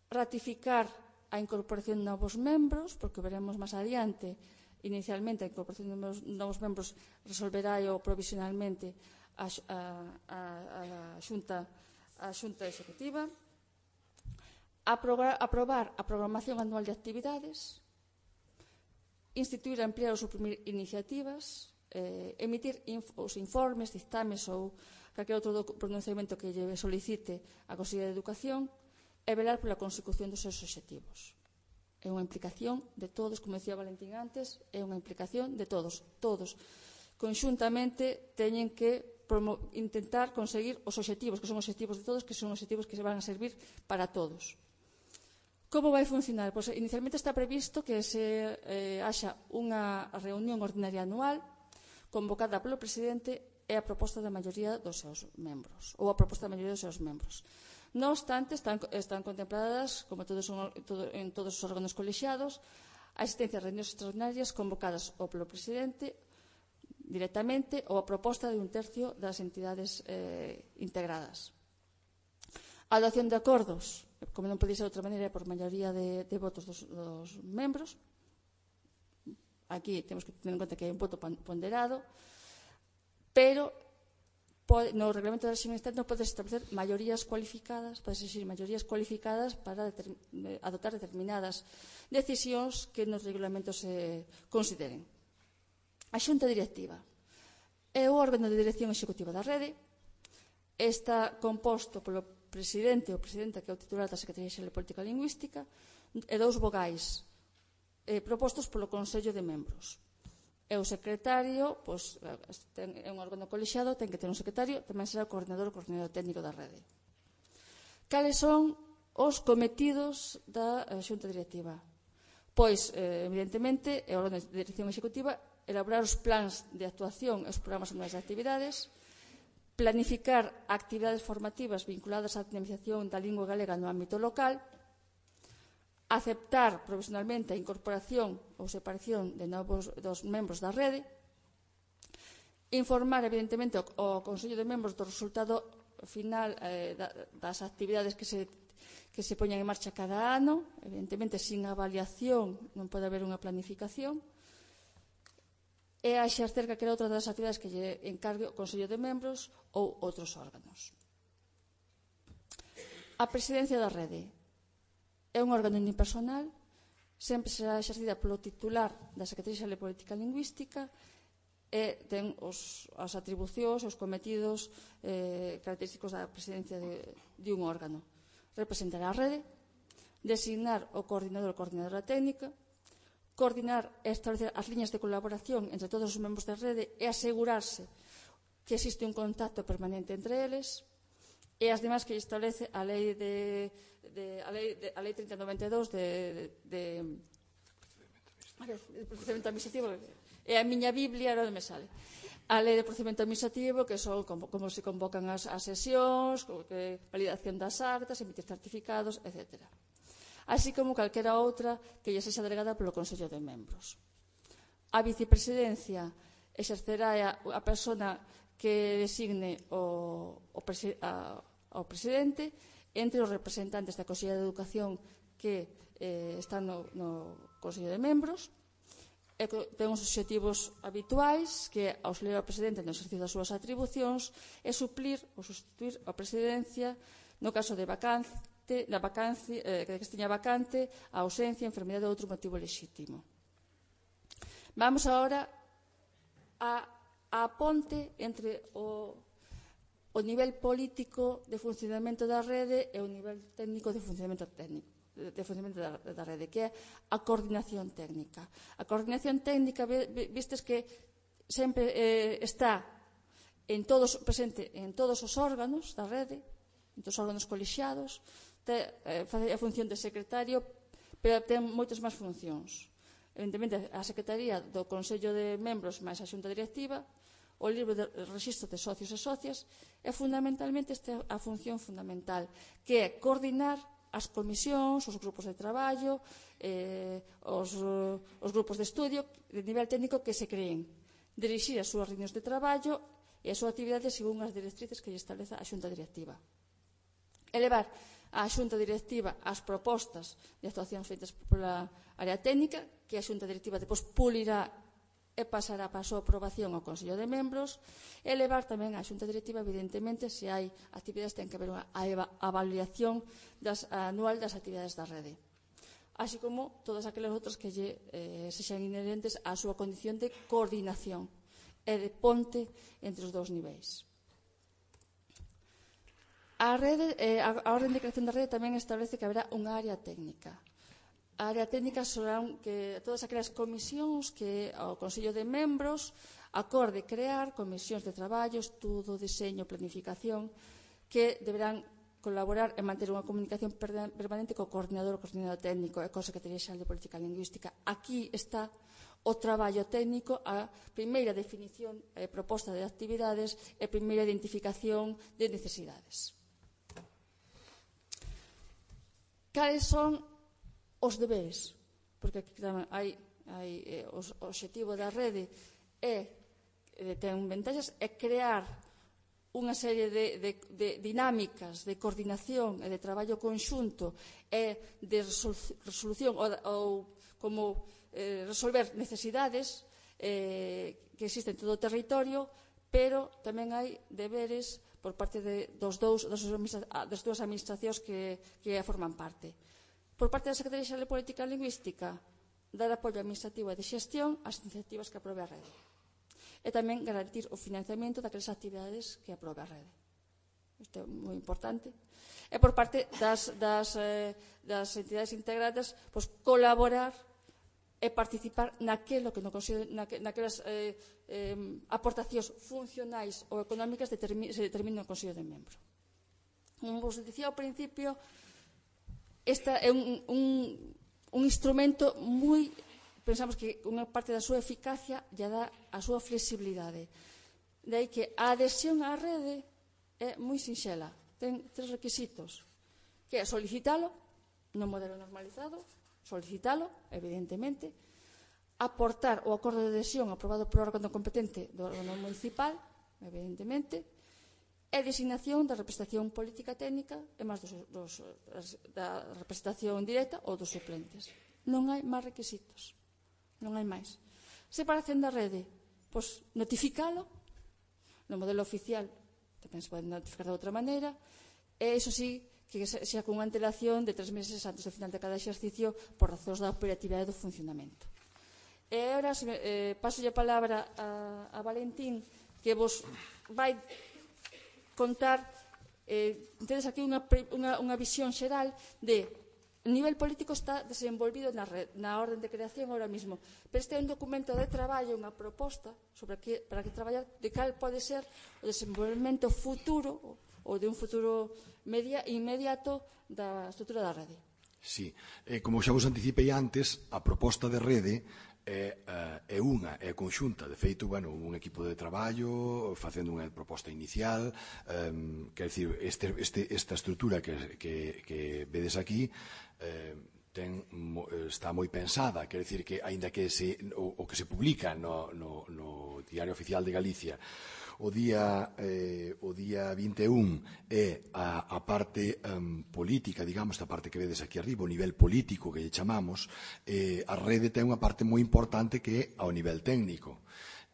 Ratificar a incorporación de novos membros, porque veremos máis adiante, inicialmente a incorporación de novos membros resolverá o provisionalmente a, a, a, a, xunta, a Xunta Executiva. Aprobar, aprobar a programación anual de actividades, instituir, ampliar ou suprimir iniciativas, eh, emitir inf os informes, dictames ou calquer outro pronunciamento que lle solicite a Consellería de Educación e velar pola consecución dos seus obxectivos. É unha implicación de todos, como decía Valentín antes, é unha implicación de todos. Todos, conxuntamente, teñen que intentar conseguir os obxectivos, que son obxectivos de todos, que son obxectivos que se van a servir para todos. Como vai funcionar? Pois, inicialmente está previsto que se eh, haxa unha reunión ordinaria anual convocada polo presidente e a proposta da maioría dos seus membros, ou a proposta da maioría dos seus membros. Non obstante, están, están contempladas, como todos son, todo, en todos os órganos colexiados, a existencia de reunións extraordinarias convocadas ou polo presidente directamente ou a proposta de un tercio das entidades eh, integradas. A adopción de acordos, como non podía ser de outra maneira, por maioría de, de votos dos, dos membros. Aquí temos que tener en conta que hai un voto ponderado, pero pode, no reglamento da réxime externo pode establecer maiorías cualificadas, pode exigir maiorías cualificadas para determin, adoptar determinadas decisións que nos reglamentos se consideren. A Xunta Directiva é o órgano de dirección executiva da rede, está composto polo presidente ou presidenta, que é o titular da Secretaría Xeral de Política Lingüística, e dous vogais eh, propostos polo Consello de Membros. E o secretario, pois, é un órgano colexiado, ten que ter un secretario, tamén será o coordinador ou coordinador técnico da rede. Cales son os cometidos da Xunta Directiva? Pois, eh, evidentemente, é o órgano de dirección executiva elaborar os plans de actuación e os programas anuais de actividades, planificar actividades formativas vinculadas á dinamización da lingua galega no ámbito local, aceptar provisionalmente a incorporación ou separación de novos dos membros da rede, informar, evidentemente, ao Consello de Membros do resultado final eh, das actividades que se, que se poñan en marcha cada ano, evidentemente, sin avaliación non pode haber unha planificación, e a exercer calquera outra das actividades que lle encargue o Consello de Membros ou outros órganos. A presidencia da rede é un órgano unipersonal, sempre será exercida polo titular da Secretaría Xeral de Política Lingüística e ten os, as atribucións, os cometidos eh, característicos da presidencia de, de un órgano. Representar a rede, designar o coordinador ou coordinadora técnica, coordinar e establecer as liñas de colaboración entre todos os membros da rede e asegurarse que existe un contacto permanente entre eles, e as demais que establece a lei de, de, a lei, de, a lei trinta noventa e dous de, de, de, de procedimento administrativo, e a miña Biblia era onde me sale. A lei de procedimento administrativo, que son como, como se convocan as, as sesións, que, validación das actas, emitir certificados, etcétera. Así como calquera outra que lle sexa delegada polo Consello de Membros. A vicepresidencia exercerá a, a persona que designe o, o, presi, a, o presidente entre os representantes da Consellería de Educación que eh, están no, no Consello de Membros. E ten os obxectivos habituais, que é auxiliar ao presidente no exercicio das súas atribucións e suplir ou sustituir a presidencia no caso de vacante, da vacancia, eh, que esteña vacante, a ausencia, a enfermidade ou outro motivo lexítimo. Vamos agora a a ponte entre o, o nivel político de funcionamento da rede e o nivel técnico de funcionamento técnico, de funcionamento da, da rede, que é a coordinación técnica. A coordinación técnica, vistes que sempre eh, está en todos, presente en todos os órganos da rede, en todos os órganos colexiados, te, eh, faz a función de secretario, pero ten moitas máis funcións. Evidentemente, a Secretaría do Consello de Membros máis a Xunta Directiva, o libro de registro de socios e socias, é fundamentalmente esta a función fundamental, que é coordinar as comisións, os grupos de traballo, eh, os, os grupos de estudio de nivel técnico que se creen, dirixir as súas reunións de traballo e a súa actividade según as directrices que lle estableza a Xunta Directiva. Elevar a Xunta Directiva as propostas de actuacións feitas pola área técnica, que a Xunta Directiva depois pulirá e pasará para a súa aprobación ao Consello de Membros, e levar tamén a Xunta Directiva, evidentemente, se hai actividades, ten que haber unha avaliación das, anual das actividades da rede, así como todas aquelas outras que lle, eh, sexan inherentes á súa condición de coordinación e de ponte entre os dous niveis. A, rede, eh, a, a orden de creación da rede tamén establece que haberá unha área técnica. A área técnica serán que todas aquelas comisións que o Consello de Membros acorde crear, comisións de traballo, estudo, diseño, planificación, que deberán colaborar e manter unha comunicación permanente co coordinador, o coordinador técnico e cosa que teria xa de política lingüística. Aquí está o traballo técnico, a primeira definición e proposta de actividades e primeira identificación de necesidades. Cales son os deberes? Porque aquí hai, hai eh, o obxectivo da rede é, ten ventaxas, é crear unha serie de, de, de dinámicas de coordinación e de traballo conxunto e de resolución ou, ou como eh, resolver necesidades eh, que existen en todo o territorio, pero tamén hai deberes por parte de, dos dous, das, das dúas administracións que, que forman parte. Por parte da Secretaría Xeral de Política Lingüística, dar apoio administrativo e de xestión ás iniciativas que aprobe a rede. E tamén garantir o financiamento daquelas actividades que aprobe a rede. Isto é moi importante. E por parte das, das, eh, das entidades integradas, pois, colaborar e participar naquelo que no consigo, naque, naquelas eh, eh, aportacións funcionais ou económicas determi, se determina o Consello de Membro. Como vos dicía ao principio, esta é un, un, un instrumento moi... Pensamos que unha parte da súa eficacia lle dá a súa flexibilidade. De aí que a adhesión á rede é moi sinxela. Ten tres requisitos, que é solicitalo no modelo normalizado, solicitalo, evidentemente, aportar o acordo de adhesión aprobado por órgano competente do órgano municipal, evidentemente, e designación da representación política técnica e máis dos, dos, da representación directa ou dos suplentes. Non hai máis requisitos. Non hai máis. Separación da rede, pois notificalo no modelo oficial, tamén se pode notificar de outra maneira, e iso sí, que xa con unha antelación de tres meses antes do final de cada exercicio por razóns da operatividade do funcionamento. E agora eh, paso a palabra a, a Valentín, que vos vai contar, eh, tedes aquí unha, unha, unha visión xeral de o nivel político está desenvolvido na, red, na orden de creación ahora mismo, pero este é un documento de traballo, unha proposta sobre que, para que traballar de cal pode ser o desenvolvemento futuro ou de un futuro media, inmediato da estrutura da rede. Sí, eh, como xa vos anticipei antes, a proposta de rede é, é unha, é conxunta. De feito, bueno, un equipo de traballo facendo unha proposta inicial, um, quer dicir, este, este, esta estrutura que, que, que vedes aquí eh, ten, está moi pensada, quer dicir que, aínda que se, o, o que se publica no, no, no Diario Oficial de Galicia o día, eh, o día vinte e un é a, a parte um, política, digamos, a parte que vedes aquí arriba, o nivel político que lle chamamos, eh, a rede ten unha parte moi importante que é ao nivel técnico,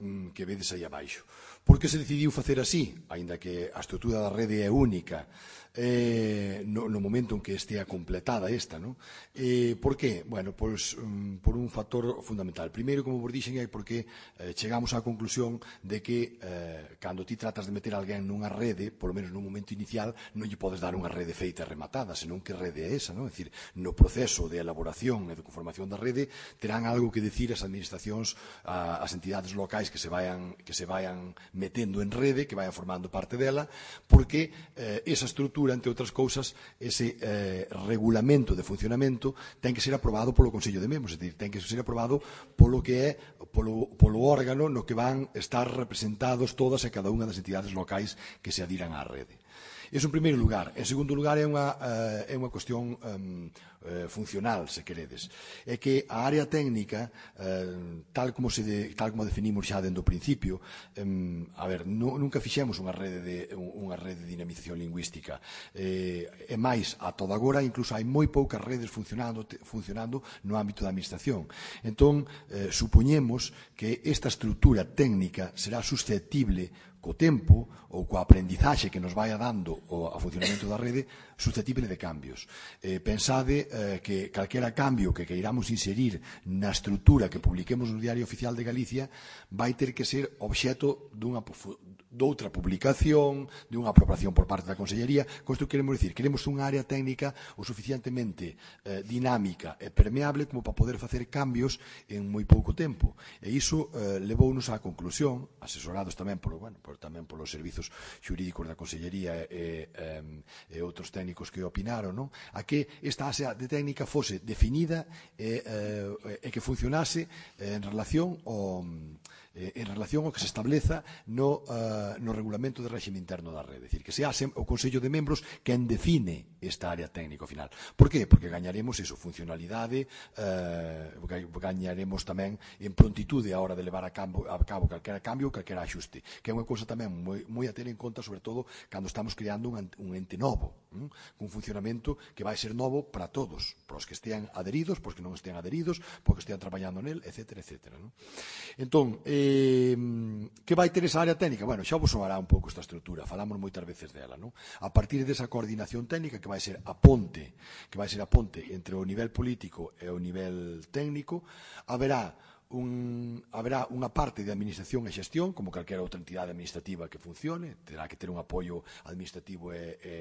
um, que vedes aí abaixo. Por que se decidiu facer así, aínda que a estrutura da rede é única, eh, no, no momento en que estea completada esta, ¿no? Eh, por qué? Bueno, pois, um, por un factor fundamental. Primeiro, como vos dixen, é porque eh, chegamos á conclusión de que eh, cando ti tratas de meter alguén nunha rede, polo menos nun momento inicial, non lle podes dar unha rede feita e rematada, senón que rede é esa, ¿no? É dicir, no proceso de elaboración e de conformación da rede terán algo que decir as administracións, a, as entidades locais que se vayan, que se vayan metendo en rede, que vayan formando parte dela, porque eh, esa estrutura, entre outras cousas, ese eh, regulamento de funcionamento ten que ser aprobado polo Consello de Membros, é dicir, ten que ser aprobado polo que é polo, polo órgano no que van estar representados todas e cada unha das entidades locais que se adiran á rede. Iso en primeiro lugar. En segundo lugar, é unha, uh, é unha cuestión um, uh, funcional, se queredes. É que a área técnica, uh, tal como se de, tal como definimos xa dentro do principio, um, a ver, no, nunca fixemos unha rede de, unha rede de dinamización lingüística. Eh, é máis, a toda agora, incluso hai moi poucas redes funcionando, te, funcionando no ámbito da administración. Entón, eh, supoñemos que esta estrutura técnica será susceptible co tempo ou coa aprendizaxe que nos vai dando o a funcionamento da rede susceptible de cambios. Eh, pensade eh, que calquera cambio que queiramos inserir na estrutura que publiquemos no Diario Oficial de Galicia vai ter que ser obxeto dunha doutra publicación, de unha aprobación por parte da Consellería. Con isto queremos dicir, queremos unha área técnica o suficientemente eh, dinámica e permeable como para poder facer cambios en moi pouco tempo. E iso eh, levounos á conclusión, asesorados tamén por, bueno, por, tamén polos servizos xurídicos da Consellería e, e, e outros técnicos que opinaron, non? A que esta área de técnica fose definida e, e, e que funcionase en relación ao en relación ao que se estableza no, uh, no regulamento de réxime interno da rede. É dicir, que sea o Consello de Membros quen define esta área técnico final. Por qué? Porque gañaremos eso, funcionalidade, uh, gañaremos tamén en prontitude a hora de levar a cabo, a cabo calquera cambio ou calquera axuste, que é unha cousa tamén moi, moi a ter en conta, sobre todo, cando estamos creando un, un ente novo, un funcionamento que vai ser novo para todos, para os que estean adheridos, para os que non estean adheridos, para os que estean traballando nel, etcétera, etcétera. Non? Entón, eh, Eh, que vai ter esa área técnica? Bueno, xa vos soará un pouco esta estrutura, falamos moitas veces dela, non? A partir desa coordinación técnica que vai ser a ponte, que vai ser a ponte entre o nivel político e o nivel técnico, haberá Un, haberá unha parte de administración e xestión, como calquera outra entidade administrativa que funcione, terá que ter un apoio administrativo e, e,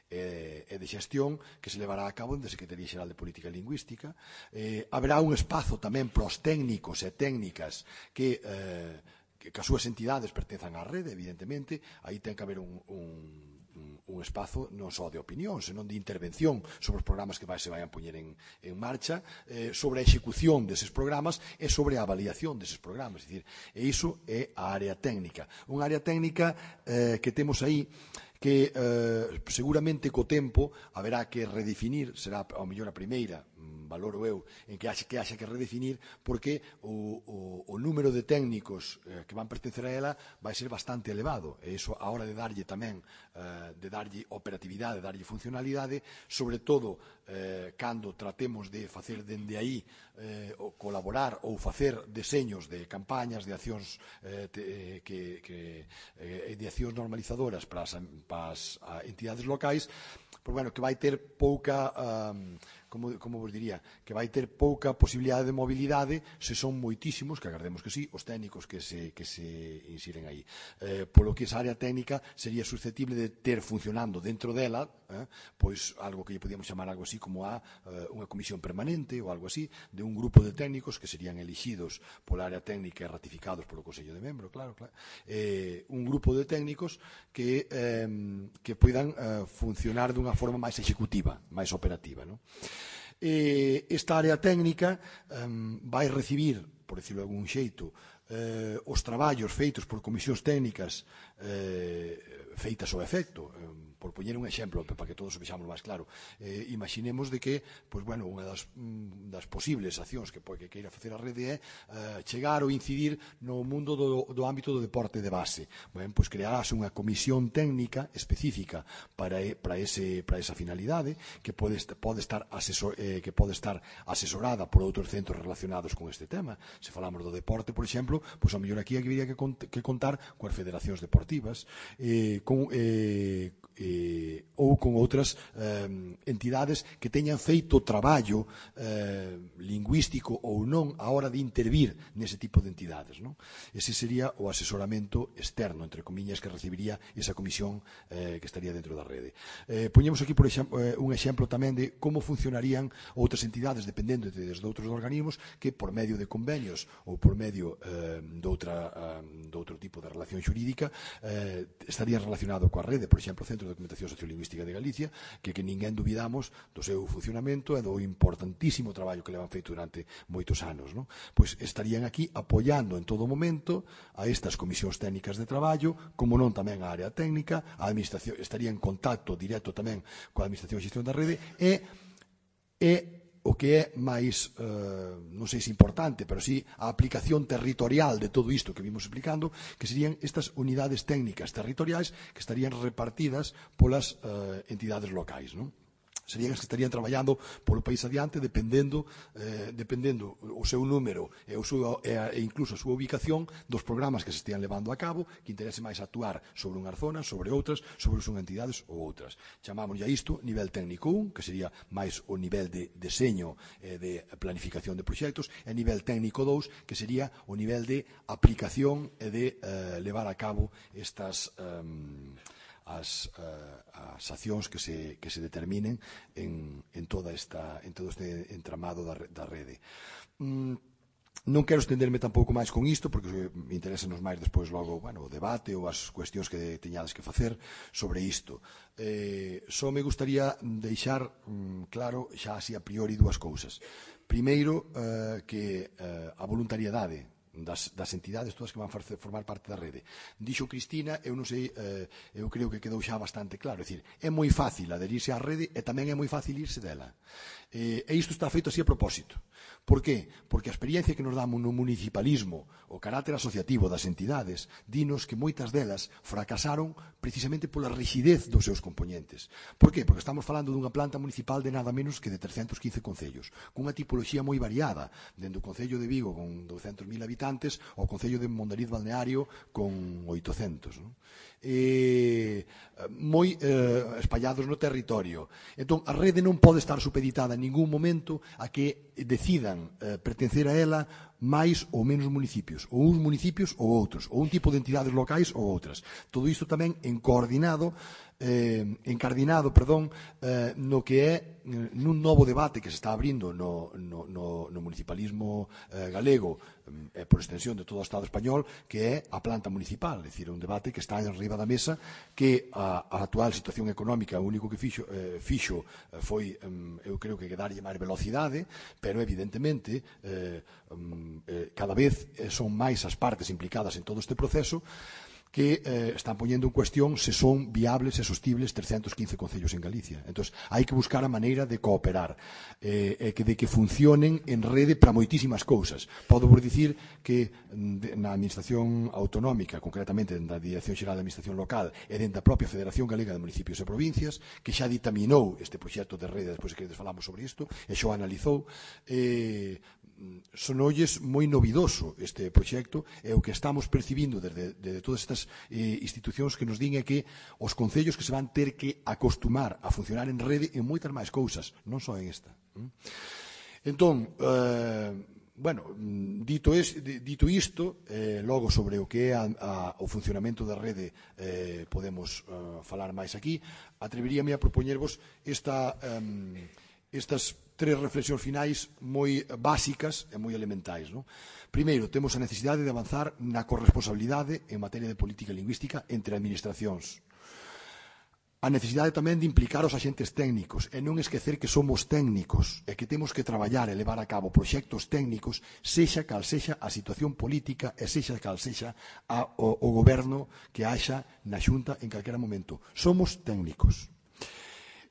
e, e de xestión que se levará a cabo en da Secretaría Xeral de Política Lingüística. Eh, haberá un espazo tamén para os técnicos e técnicas que, eh, que, que as súas entidades pertenzan á rede, evidentemente, aí ten que haber un, un un espazo non só de opinión, senón de intervención sobre os programas que vai, se vayan poñer en, en marcha, eh, sobre a execución deses programas e sobre a avaliación deses programas. É dicir, e iso é a área técnica. Unha área técnica eh, que temos aí que eh, seguramente co tempo haberá que redefinir, será ao mellor a primeira, valoro eu, en que haxe que, haxe que redefinir, porque o, o, o número de técnicos eh, que van pertencer a ela vai ser bastante elevado, e iso a hora de darlle tamén, eh, de darlle operatividade, de darlle funcionalidade, sobre todo eh, cando tratemos de facer dende aí eh, o colaborar ou facer deseños de campañas, de accións eh, te, que, que, eh, de accións normalizadoras para as, para as entidades locais, pues, bueno, que vai ter pouca... Um, Como, como vos diría, que vai ter pouca posibilidade de mobilidade se son moitísimos, que agardemos que sí, os técnicos que se, que se insiren aí. Eh, polo que esa área técnica sería susceptible de ter funcionando dentro dela, eh, pois algo que lle podíamos chamar algo así como a eh, unha comisión permanente ou algo así, de un grupo de técnicos que serían elixidos pola área técnica e ratificados polo Consello de Membros, claro, claro. Eh, un grupo de técnicos que, eh, que poidan eh, funcionar dunha forma máis executiva, máis operativa, non? Eh, esta área técnica um, vai recibir, por decirlo de algún xeito, eh, os traballos feitos por comisións técnicas eh, feitas ao efecto. Eh, por poñer un exemplo, para que todos o vexamos máis claro, eh, imaginemos de que, pois, bueno, unha das, das posibles accións que, que queira facer a rede é eh, chegar ou incidir no mundo do, do ámbito do deporte de base. Ben, pois crearase unha comisión técnica específica para, para, ese, para esa finalidade, que pode, pode, estar asesor, eh, que pode estar asesorada por outros centros relacionados con este tema. Se falamos do deporte, por exemplo, pois ao mellor aquí habería que, cont que contar coas federacións deportivas, eh, con... Eh, eh, ou con outras eh, entidades que teñan feito traballo eh, lingüístico ou non a hora de intervir nese tipo de entidades, non? Ese sería o asesoramento externo, entre comiñas, que recibiría esa comisión eh, que estaría dentro da rede. Eh, poñemos aquí, por exemplo, eh, un exemplo tamén de como funcionarían outras entidades dependendo de, de outros organismos que por medio de convenios ou por medio eh, de, outra, eh, de outro tipo de relación xurídica eh, estarían relacionado coa rede, por exemplo, o Centro de Documentación Sociolingüística de Galicia, que, que ninguén dubidamos do seu funcionamento e do importantísimo traballo que levan feito durante moitos anos, non? Pois estarían aquí apoiando en todo momento a estas comisións técnicas de traballo, como non tamén a área técnica, a administración estaría en contacto directo tamén coa administración e xestión da rede, e, e o que é máis, eh, non sei se importante, pero sí a aplicación territorial de todo isto que vimos explicando, que serían estas unidades técnicas territoriais que estarían repartidas polas eh, entidades locais, non? serían as que estarían traballando polo país adiante dependendo eh, dependendo o seu número e, o seu, e, a, e incluso a súa ubicación dos programas que se estean levando a cabo, que interese máis actuar sobre unhas zonas, sobre outras, sobre unhas entidades ou outras. Chamámoslle a isto nivel técnico un, que sería máis o nivel de deseño e de planificación de proxectos, e nivel técnico dous, que sería o nivel de aplicación e de eh, levar a cabo estas eh, As, uh, as accións que se, que se determinen en, en, toda esta, en todo este entramado da, da rede. Mm, non quero estenderme tampouco máis con isto, porque me interesan máis despois logo bueno, o debate ou as cuestións que teñades que facer sobre isto. Eh, só me gustaría deixar mm, claro xa así a priori dúas cousas. Primeiro, eh, que eh, a voluntariedade Das, das entidades todas que van formar parte da rede. Dixo Cristina, eu non sei, eh, eu creo que quedou xa bastante claro, é dicir, é moi fácil aderirse á rede e tamén é moi fácil irse dela. Eh, e isto está feito así a propósito. Por qué? Porque a experiencia que nos damos no municipalismo, o carácter asociativo das entidades, dinos que moitas delas fracasaron precisamente pola rigidez dos seus componentes. Por qué? Porque estamos falando dunha planta municipal de nada menos que de trescentos quince concellos, cunha tipoloxía moi variada, dende o Concello de Vigo con douscentos mil habitantes ao Concello de Mondariz Balneario con oitocentos. Non? E, moi eh, espallados no territorio. Entón, a rede non pode estar supeditada en ningún momento a que decidan eh, pertencer a ela máis ou menos municipios, ou uns municipios ou outros, ou un tipo de entidades locais ou outras. Todo isto tamén en coordinado eh, encardinado, perdón, eh, no que é nun novo debate que se está abrindo no, no, no, no municipalismo eh, galego e eh, por extensión de todo o Estado español, que é a planta municipal, é dicir, un debate que está en riba da mesa, que a, a actual situación económica o único que fixo, eh, fixo eh, foi, eh, eu creo que darlle máis velocidade, pero evidentemente eh, eh, cada vez son máis as partes implicadas en todo este proceso que eh, están poñendo en cuestión se son viables e sostibles trescentos quince concellos en Galicia. Entón, hai que buscar a maneira de cooperar, eh, e que de que funcionen en rede para moitísimas cousas. Podo vos dicir que de, na Administración Autonómica, concretamente na Dirección Xeral de Administración Local e dentro da propia Federación Galega de Municipios e Provincias, que xa ditaminou este proxecto de rede, despois que falamos sobre isto, e xa o analizou, eh, sonolles moi novidoso este proxecto, e o que estamos percibindo desde, desde todas estas eh, institucións que nos din é que os concellos que se van ter que acostumar a funcionar en rede en moitas máis cousas, non só en esta. Entón, eh, bueno, dito, es, dito isto, eh, logo sobre o que é a, a, o funcionamento da rede eh, podemos eh, falar máis aquí, atreveríame a propoñervos esta... Eh, estas tres reflexións finais moi básicas e moi elementais. Non? Primeiro, temos a necesidade de avanzar na corresponsabilidade en materia de política lingüística entre administracións. A necesidade tamén de implicar os axentes técnicos e non esquecer que somos técnicos e que temos que traballar e levar a cabo proxectos técnicos, sexa cal sexa a situación política e sexa cal sexa a, o, o goberno que haxa na Xunta en calquera momento. Somos técnicos.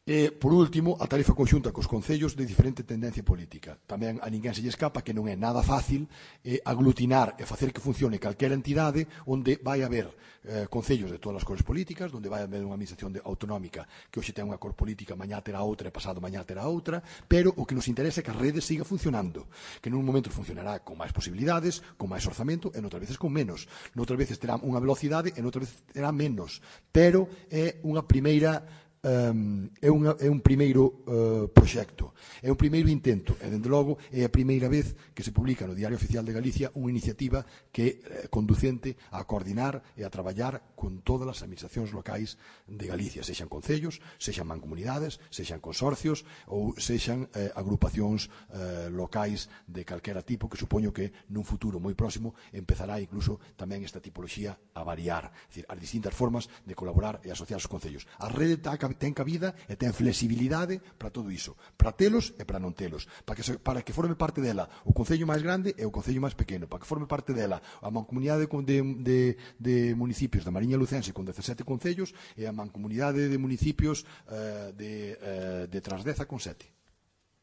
E, por último, a tarefa conxunta cos concellos de diferente tendencia política. Tamén a ninguén se lle escapa que non é nada fácil eh, aglutinar e facer que funcione calquera entidade onde vai haber eh, concellos de todas as cores políticas, onde vai haber unha administración de, autonómica que hoxe ten unha cor política, mañá terá outra e pasado mañá terá outra, pero o que nos interesa é que a rede siga funcionando, que nun momento funcionará con máis posibilidades, con máis orzamento e noutras veces con menos. Noutras veces terá unha velocidade e noutras veces terá menos, pero é unha primeira Um, é, unha, é un primeiro uh, proxecto, é un primeiro intento e, dende logo, é a primeira vez que se publica no Diario Oficial de Galicia unha iniciativa que é eh, conducente a coordinar e a traballar con todas as administracións locais de Galicia, sexan concellos, sexan mancomunidades, sexan consorcios ou sexan eh, agrupacións eh, locais de calquera tipo, que supoño que nun futuro moi próximo empezará incluso tamén esta tipoloxía a variar, é dicir, as distintas formas de colaborar e asociar os concellos. A rede está ten cabida e ten flexibilidade para todo iso, para telos e para non telos, para que, se, para que forme parte dela o concello máis grande e o concello máis pequeno, para que forme parte dela a mancomunidade de, de, de municipios da Mariña Lucense con dezasete concellos e a mancomunidade de municipios eh, de, eh, de Transdeza con sete.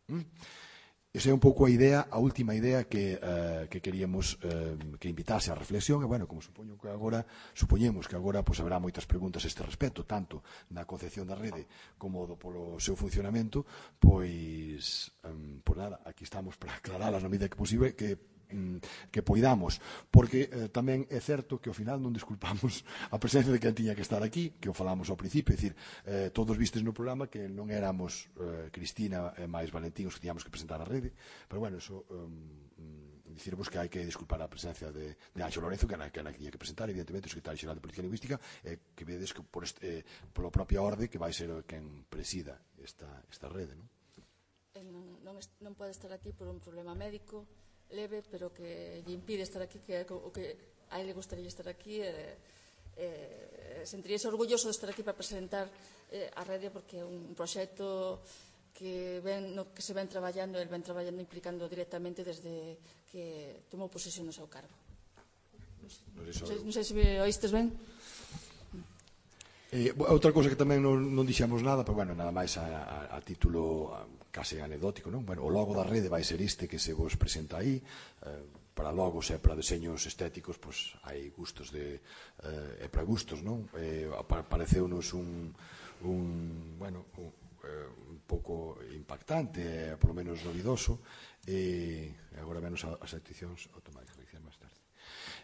¿Mm? Esa é un pouco a idea, a última idea que, uh, que queríamos uh, que invitase a reflexión, e, bueno, como supoño que agora, supoñemos que agora pues, haberá moitas preguntas a este respecto, tanto na concepción da rede como do, polo seu funcionamento, pois, um, por nada, aquí estamos para aclaralas na medida que posible, que que poidamos, porque eh, tamén é certo que ao final non desculpamos a presencia de quen tiña que estar aquí, que o falamos ao principio, é dicir, eh, todos vistes no programa que non éramos eh, Cristina e máis Valentín os que tiñamos que presentar a rede, pero bueno, eso um, dicirvos que hai que desculpar a presencia de, de Anxo Lorenzo, que era que tiña que presentar, evidentemente, o secretario xeral de Política Lingüística, eh, que vedes que por este, eh, polo propia orde que vai ser quen presida esta, esta rede, non? Non, non, non pode estar aquí por un problema médico leve, pero que lle impide estar aquí, que o que a ele gustaría estar aquí, e eh, sentiríase orgulloso de estar aquí para presentar eh, a rede, porque é un proxecto que, ven, no, que se ven traballando, el ven traballando implicando directamente desde que tomou posesión no seu cargo. Non sei, non sei se oístes ben. Eh, outra cousa que tamén non, non dixemos nada, pero bueno, nada máis a, a, a título a, case anecdótico, non? Bueno, o logo da rede vai ser este que se vos presenta aí, eh, para logos e para deseños estéticos, pois hai gustos de eh, e para gustos, non? Eh, pareceunos un, un bueno, un, eh, un pouco impactante, eh, polo menos novidoso, e eh, agora menos as seccións automáticas que dicen máis tarde.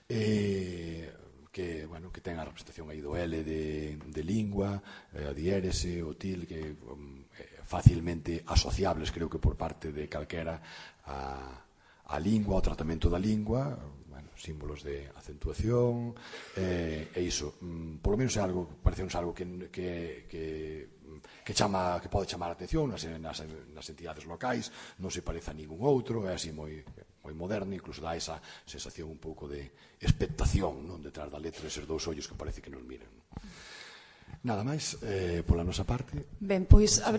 Eh, que, bueno, que ten a representación aí do L de, de lingua, a diérese, o til, que um, facilmente asociables, creo que por parte de calquera a, a lingua, o tratamento da lingua, bueno, símbolos de acentuación, eh, e iso, um, polo menos é algo, parecenos algo que, que, que que chama, que pode chamar a atención nas, nas, nas entidades locais, non se parece a ningún outro, é así moi, moi moderno, incluso dá esa sensación un pouco de expectación, non, detrás da letra, eses dous ollos que parece que nos miran. Nada máis, eh, pola nosa parte. Ben, pois